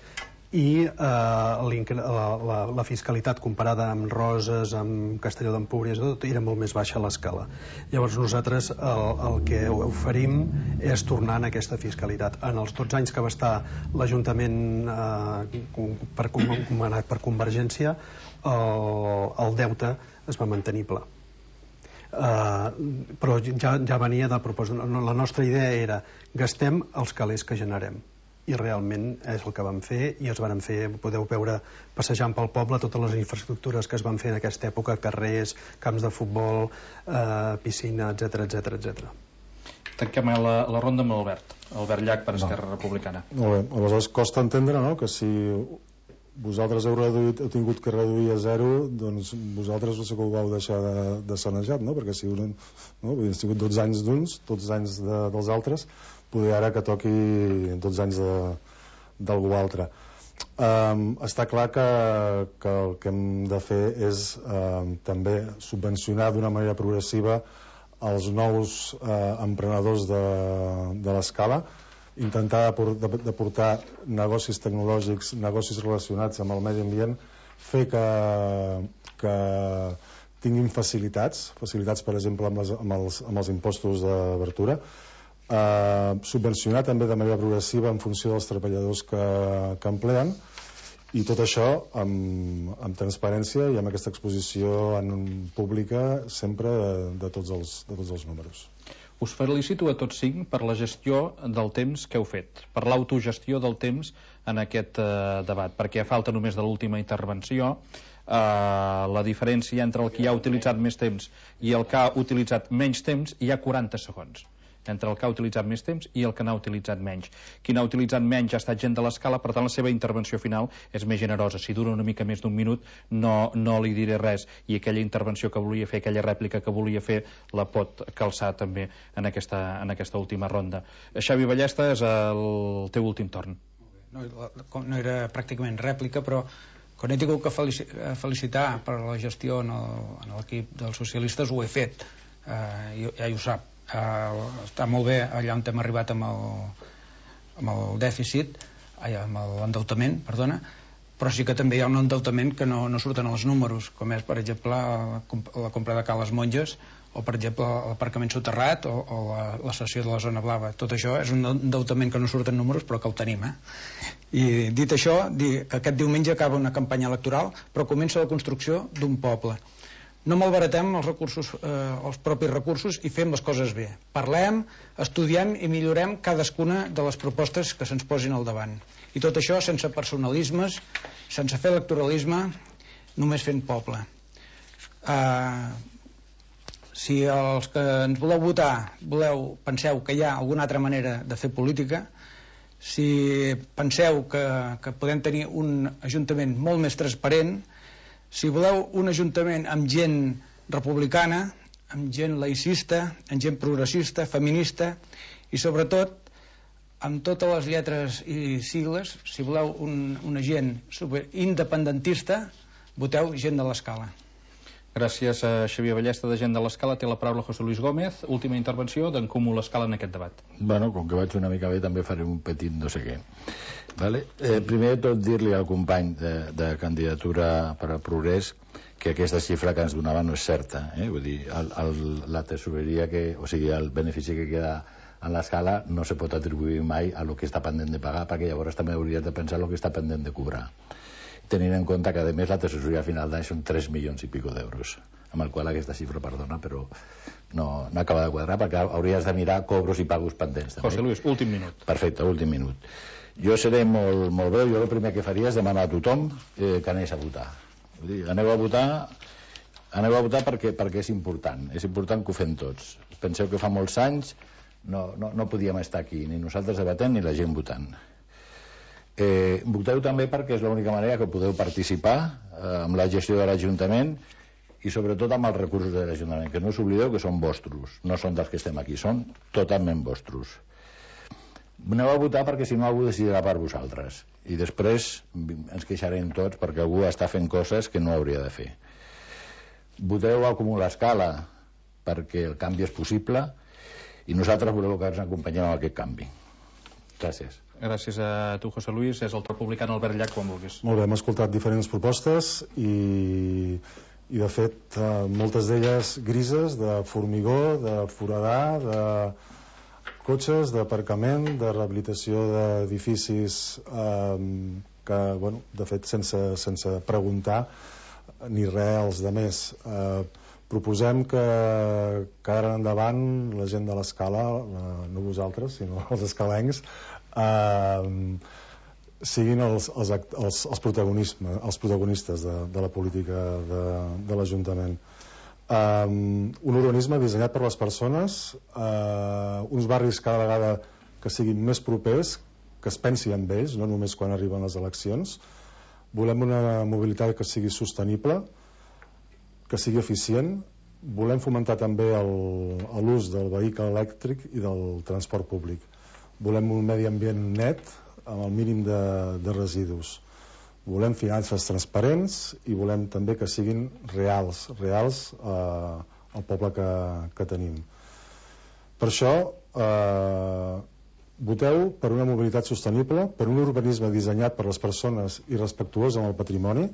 i eh, la, la, la fiscalitat comparada amb Roses, amb Castelló d'Empúries, tot era molt més baixa a l'escala. Llavors nosaltres el, el que oferim és tornar en aquesta fiscalitat. En els dotze anys que va estar l'Ajuntament eh, per, comanat per Convergència, el, el deute es va mantenir pla. Uh, però ja, ja venia de propòsit. La nostra idea era gastem els calés que generem i realment és el que vam fer i els van fer, podeu veure passejant pel poble totes les infraestructures que es van fer en aquesta època, carrers, camps de futbol, uh, piscina, etcètera, etcètera, etcètera. Tanquem la, la ronda amb l'Albert Albert Llach per Esquerra no. Republicana. Molt bé, aleshores costa entendre, no?, que si vosaltres heu, reduït, heu tingut que reduir a zero, doncs vosaltres no sé que ho vau deixar de, de sanejat, no? Perquè si un, no? Vull dir, ha sigut dotze anys d'uns, dotze anys de, dels altres, poder ara que toqui dotze anys de, d'algú altre. Um, està clar que, que el que hem de fer és um, també subvencionar d'una manera progressiva els nous uh, emprenedors de, de l'Escala, intentar de portar negocis tecnològics, negocis relacionats amb el medi ambient, fer que, que, tinguin facilitats, facilitats per exemple amb, les, amb, els, amb els impostos d'obertura, eh, subvencionar també de manera progressiva en funció dels treballadors que, que empleen, i tot això amb, amb transparència i amb aquesta exposició en pública sempre de, de, tots els, de tots els números. Us felicito a tots cinc per la gestió del temps que heu fet, per l'autogestió del temps en aquest eh, debat, perquè a falta només de l'última intervenció, eh, la diferència entre el que ha utilitzat més temps i el que ha utilitzat menys temps hi ha quaranta segons. Entre el que ha utilitzat més temps i el que n'ha utilitzat menys. Qui n'ha utilitzat menys ha estat gent de l'escala, per tant la seva intervenció final és més generosa. Si dura una mica més d'un minut no, no li diré res, i aquella intervenció que volia fer, aquella rèplica que volia fer, la pot calçar també en aquesta, en aquesta última ronda. Xavi Ballesta, és el teu últim torn. No, no era pràcticament rèplica, però quan he tingut que felicitar per la gestió en l'equip dels socialistes ho he fet, eh, ja ho sap. Uh, està molt bé allà on hem arribat amb el, amb el dèficit, ai, amb l'endeutament, perdona, però sí que també hi ha un endeutament que no, no surten els números, com és, per exemple, la, la compra de Cales Monges, o, per exemple, l'aparcament soterrat, o, o la, la cessió de la zona blava. Tot això és un endeutament que no surten números, però que el tenim, eh? I dit això, dir que aquest diumenge acaba una campanya electoral, però comença la construcció d'un poble. No malbaratem els recursos, eh, els propis recursos, i fem les coses bé. Parlem, estudiem i millorem cadascuna de les propostes que se'ns posin al davant. I tot això sense personalismes, sense fer electoralisme, només fent poble. Eh, si els que ens voleu votar voleu, penseu que hi ha alguna altra manera de fer política, si penseu que, que podem tenir un ajuntament molt més transparent, si voleu un ajuntament amb gent republicana, amb gent laïcista, amb gent progressista, feminista, i sobretot amb totes les lletres i sigles, si voleu un, una gent independentista, voteu Gent de l'Escala. Gràcies a Xavier Ballesta, de Gent de l'Escala. Té la paraula José Luis Gómez. Última intervenció d'en Comú l'Escala en aquest debat. Bueno, com que vaig una mica bé, també faré un petit no sé què. Vale? Eh, primer de tot, dir-li al company de, de candidatura per al Progrés que aquesta xifra que ens donava no és certa. Eh? Vull dir, el, el, la tesoreria, que, o sigui, el benefici que queda en l'escala no se pot atribuir mai a lo que està pendent de pagar, perquè llavors també hauries de pensar el que està pendent de cobrar, tenint en compte que a més la tesoreria final d'any són tres milions i pico d'euros, amb el qual aquesta xifra, perdona, però no, no acaba de quadrar, perquè hauries de mirar cobros i pagos pendents també. José Luis, últim minut. Perfecte, últim minut. Jo seré molt, molt breu. Jo el primer que faria és demanar a tothom eh, que anés a votar. Vull dir, aneu a votar aneu a votar perquè, perquè és important, és important que ho fem tots. Penseu que fa molts anys no, no, no podíem estar aquí, ni nosaltres debatent ni la gent votant. Eh, voteu també perquè és l'única manera que podeu participar eh, amb la gestió de l'Ajuntament i sobretot amb els recursos de l'Ajuntament, que no us oblideu que són vostres, no són dels que estem aquí, són totalment vostres. Aneu a votar perquè si no algú decidirà per vosaltres i després ens queixarem tots perquè algú està fent coses que no hauria de fer. Voteu a Comú l'Escala perquè el canvi és possible i nosaltres voleu que ens acompanyem en aquest canvi. Gràcies. Gràcies a tu, José Luis. És el republicà Albert Llach, quan vulguis. Molt bé, hem escoltat diferents propostes i, i de fet, eh, moltes d'elles grises, de formigó, de foradar, de cotxes, d'aparcament, de rehabilitació d'edificis eh, que, bueno, de fet, sense, sense preguntar ni res als demés. Eh, proposem que, que ara endavant la gent de l'Escala, eh, no vosaltres, sinó els escalencs, Uh, siguin els, els, els, els, els protagonistes de, de la política de, de l'Ajuntament. Um, un urbanisme dissenyat per les persones, uh, uns barris cada vegada que siguin més propers, que es pensi en ells, no només quan arriben les eleccions. Volem una mobilitat que sigui sostenible, que sigui eficient. Volem fomentar també l'ús del vehicle elèctric i del transport públic. Volem un medi ambient net amb el mínim de, de residus. Volem finances transparents i volem també que siguin reals, reals eh, al poble que, que tenim. Per això eh, voteu per una mobilitat sostenible, per un urbanisme dissenyat per les persones i respectuós amb el patrimoni.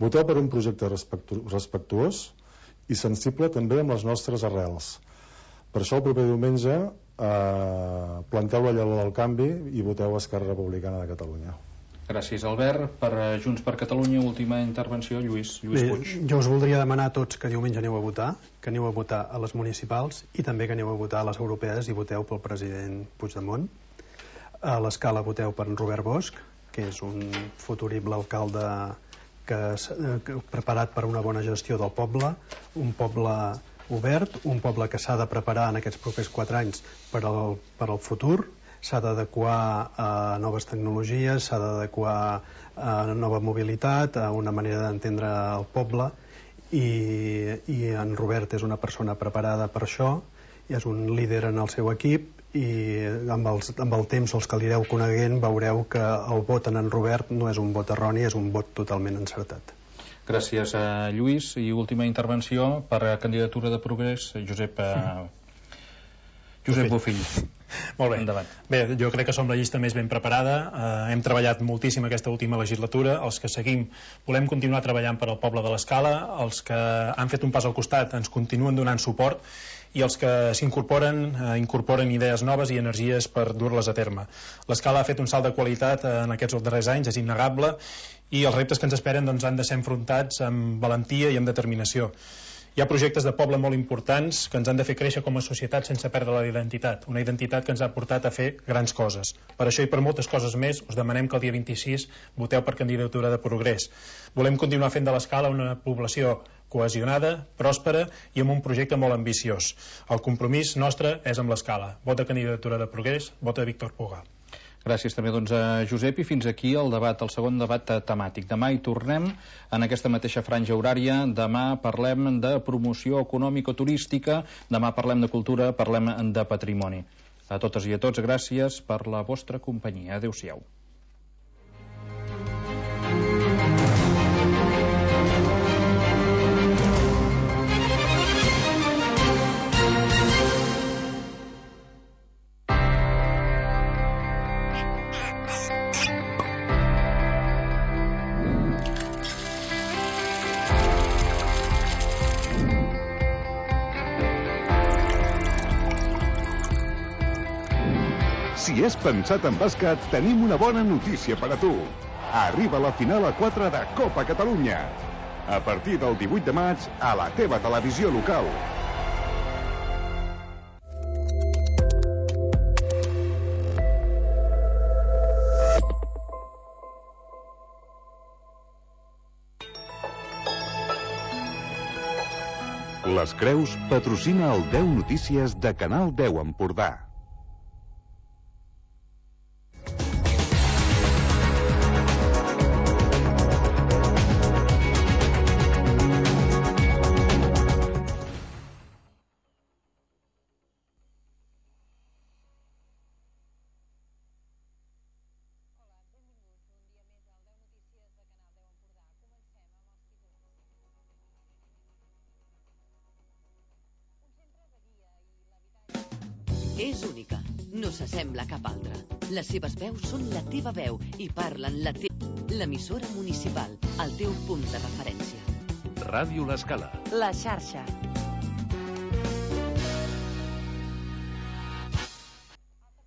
Voteu per un projecte respectu respectuós i sensible també amb les nostres arrels. Per això el proper diumenge eh, planteu la llengua del canvi i voteu Esquerra Republicana de Catalunya. Gràcies, Albert. Per Junts per Catalunya, última intervenció, Lluís, Lluís Bé, Puig. Jo us voldria demanar a tots que diumenge aneu a votar, que aneu a votar a les municipals i també que aneu a votar a les europees i voteu pel president Puigdemont. A l'Escala voteu per en Robert Bosch, que és un futurible alcalde que, que, preparat per una bona gestió del poble, un poble obert, un poble que s'ha de preparar en aquests propers quatre anys per al, per al futur, s'ha d'adequar a noves tecnologies, s'ha d'adequar a nova mobilitat, a una manera d'entendre el poble, i, i en Robert és una persona preparada per això, i és un líder en el seu equip, i amb, els, amb el temps, els que l'ireu coneguent, veureu que el vot en en Robert no és un vot erroni, és un vot totalment encertat. Gràcies a Lluís. I última intervenció per a candidatura de Progrés, Josep, eh, Josep Bofill. Molt bé. Endavant. Bé, jo crec que som la llista més ben preparada. Eh, hem treballat moltíssim aquesta última legislatura. Els que seguim volem continuar treballant per al poble de l'Escala. Els que han fet un pas al costat ens continuen donant suport, i els que s'incorporen eh, incorporen idees noves i energies per dur-les a terme. L'Escala ha fet un salt de qualitat eh, en aquests darrers anys, és innegable, i els reptes que ens esperen doncs, han de ser enfrontats amb valentia i amb determinació. Hi ha projectes de poble molt importants que ens han de fer créixer com a societat sense perdre la identitat, una identitat que ens ha portat a fer grans coses. Per això i per moltes coses més us demanem que el dia vint-i-sis voteu per candidatura de Progrés. Volem continuar fent de l'Escala una població cohesionada, pròspera i amb un projecte molt ambiciós. El compromís nostre és amb l'Escala. Vota candidatura de Progrés, vota Víctor Puga. Gràcies també doncs, a Josep, i fins aquí el debat, el segon debat temàtic. Demà hi tornem en aquesta mateixa franja horària. Demà parlem de promoció econòmico-turística, demà parlem de cultura, parlem de patrimoni. A totes i a tots, gràcies per la vostra companyia. Adéu-siau. Si és pensat en bàsquet, tenim una bona notícia per a tu. Arriba la final a quatre de Copa Catalunya. A partir del divuit de maig, a la teva televisió local. Les Creus patrocina el deu Notícies de Canal deu Empordà. És única, no s'assembla a cap altra. Les seves veus són la teva veu i parlen la teva... L'emissora municipal, el teu punt de referència. Ràdio L'Escala. La xarxa.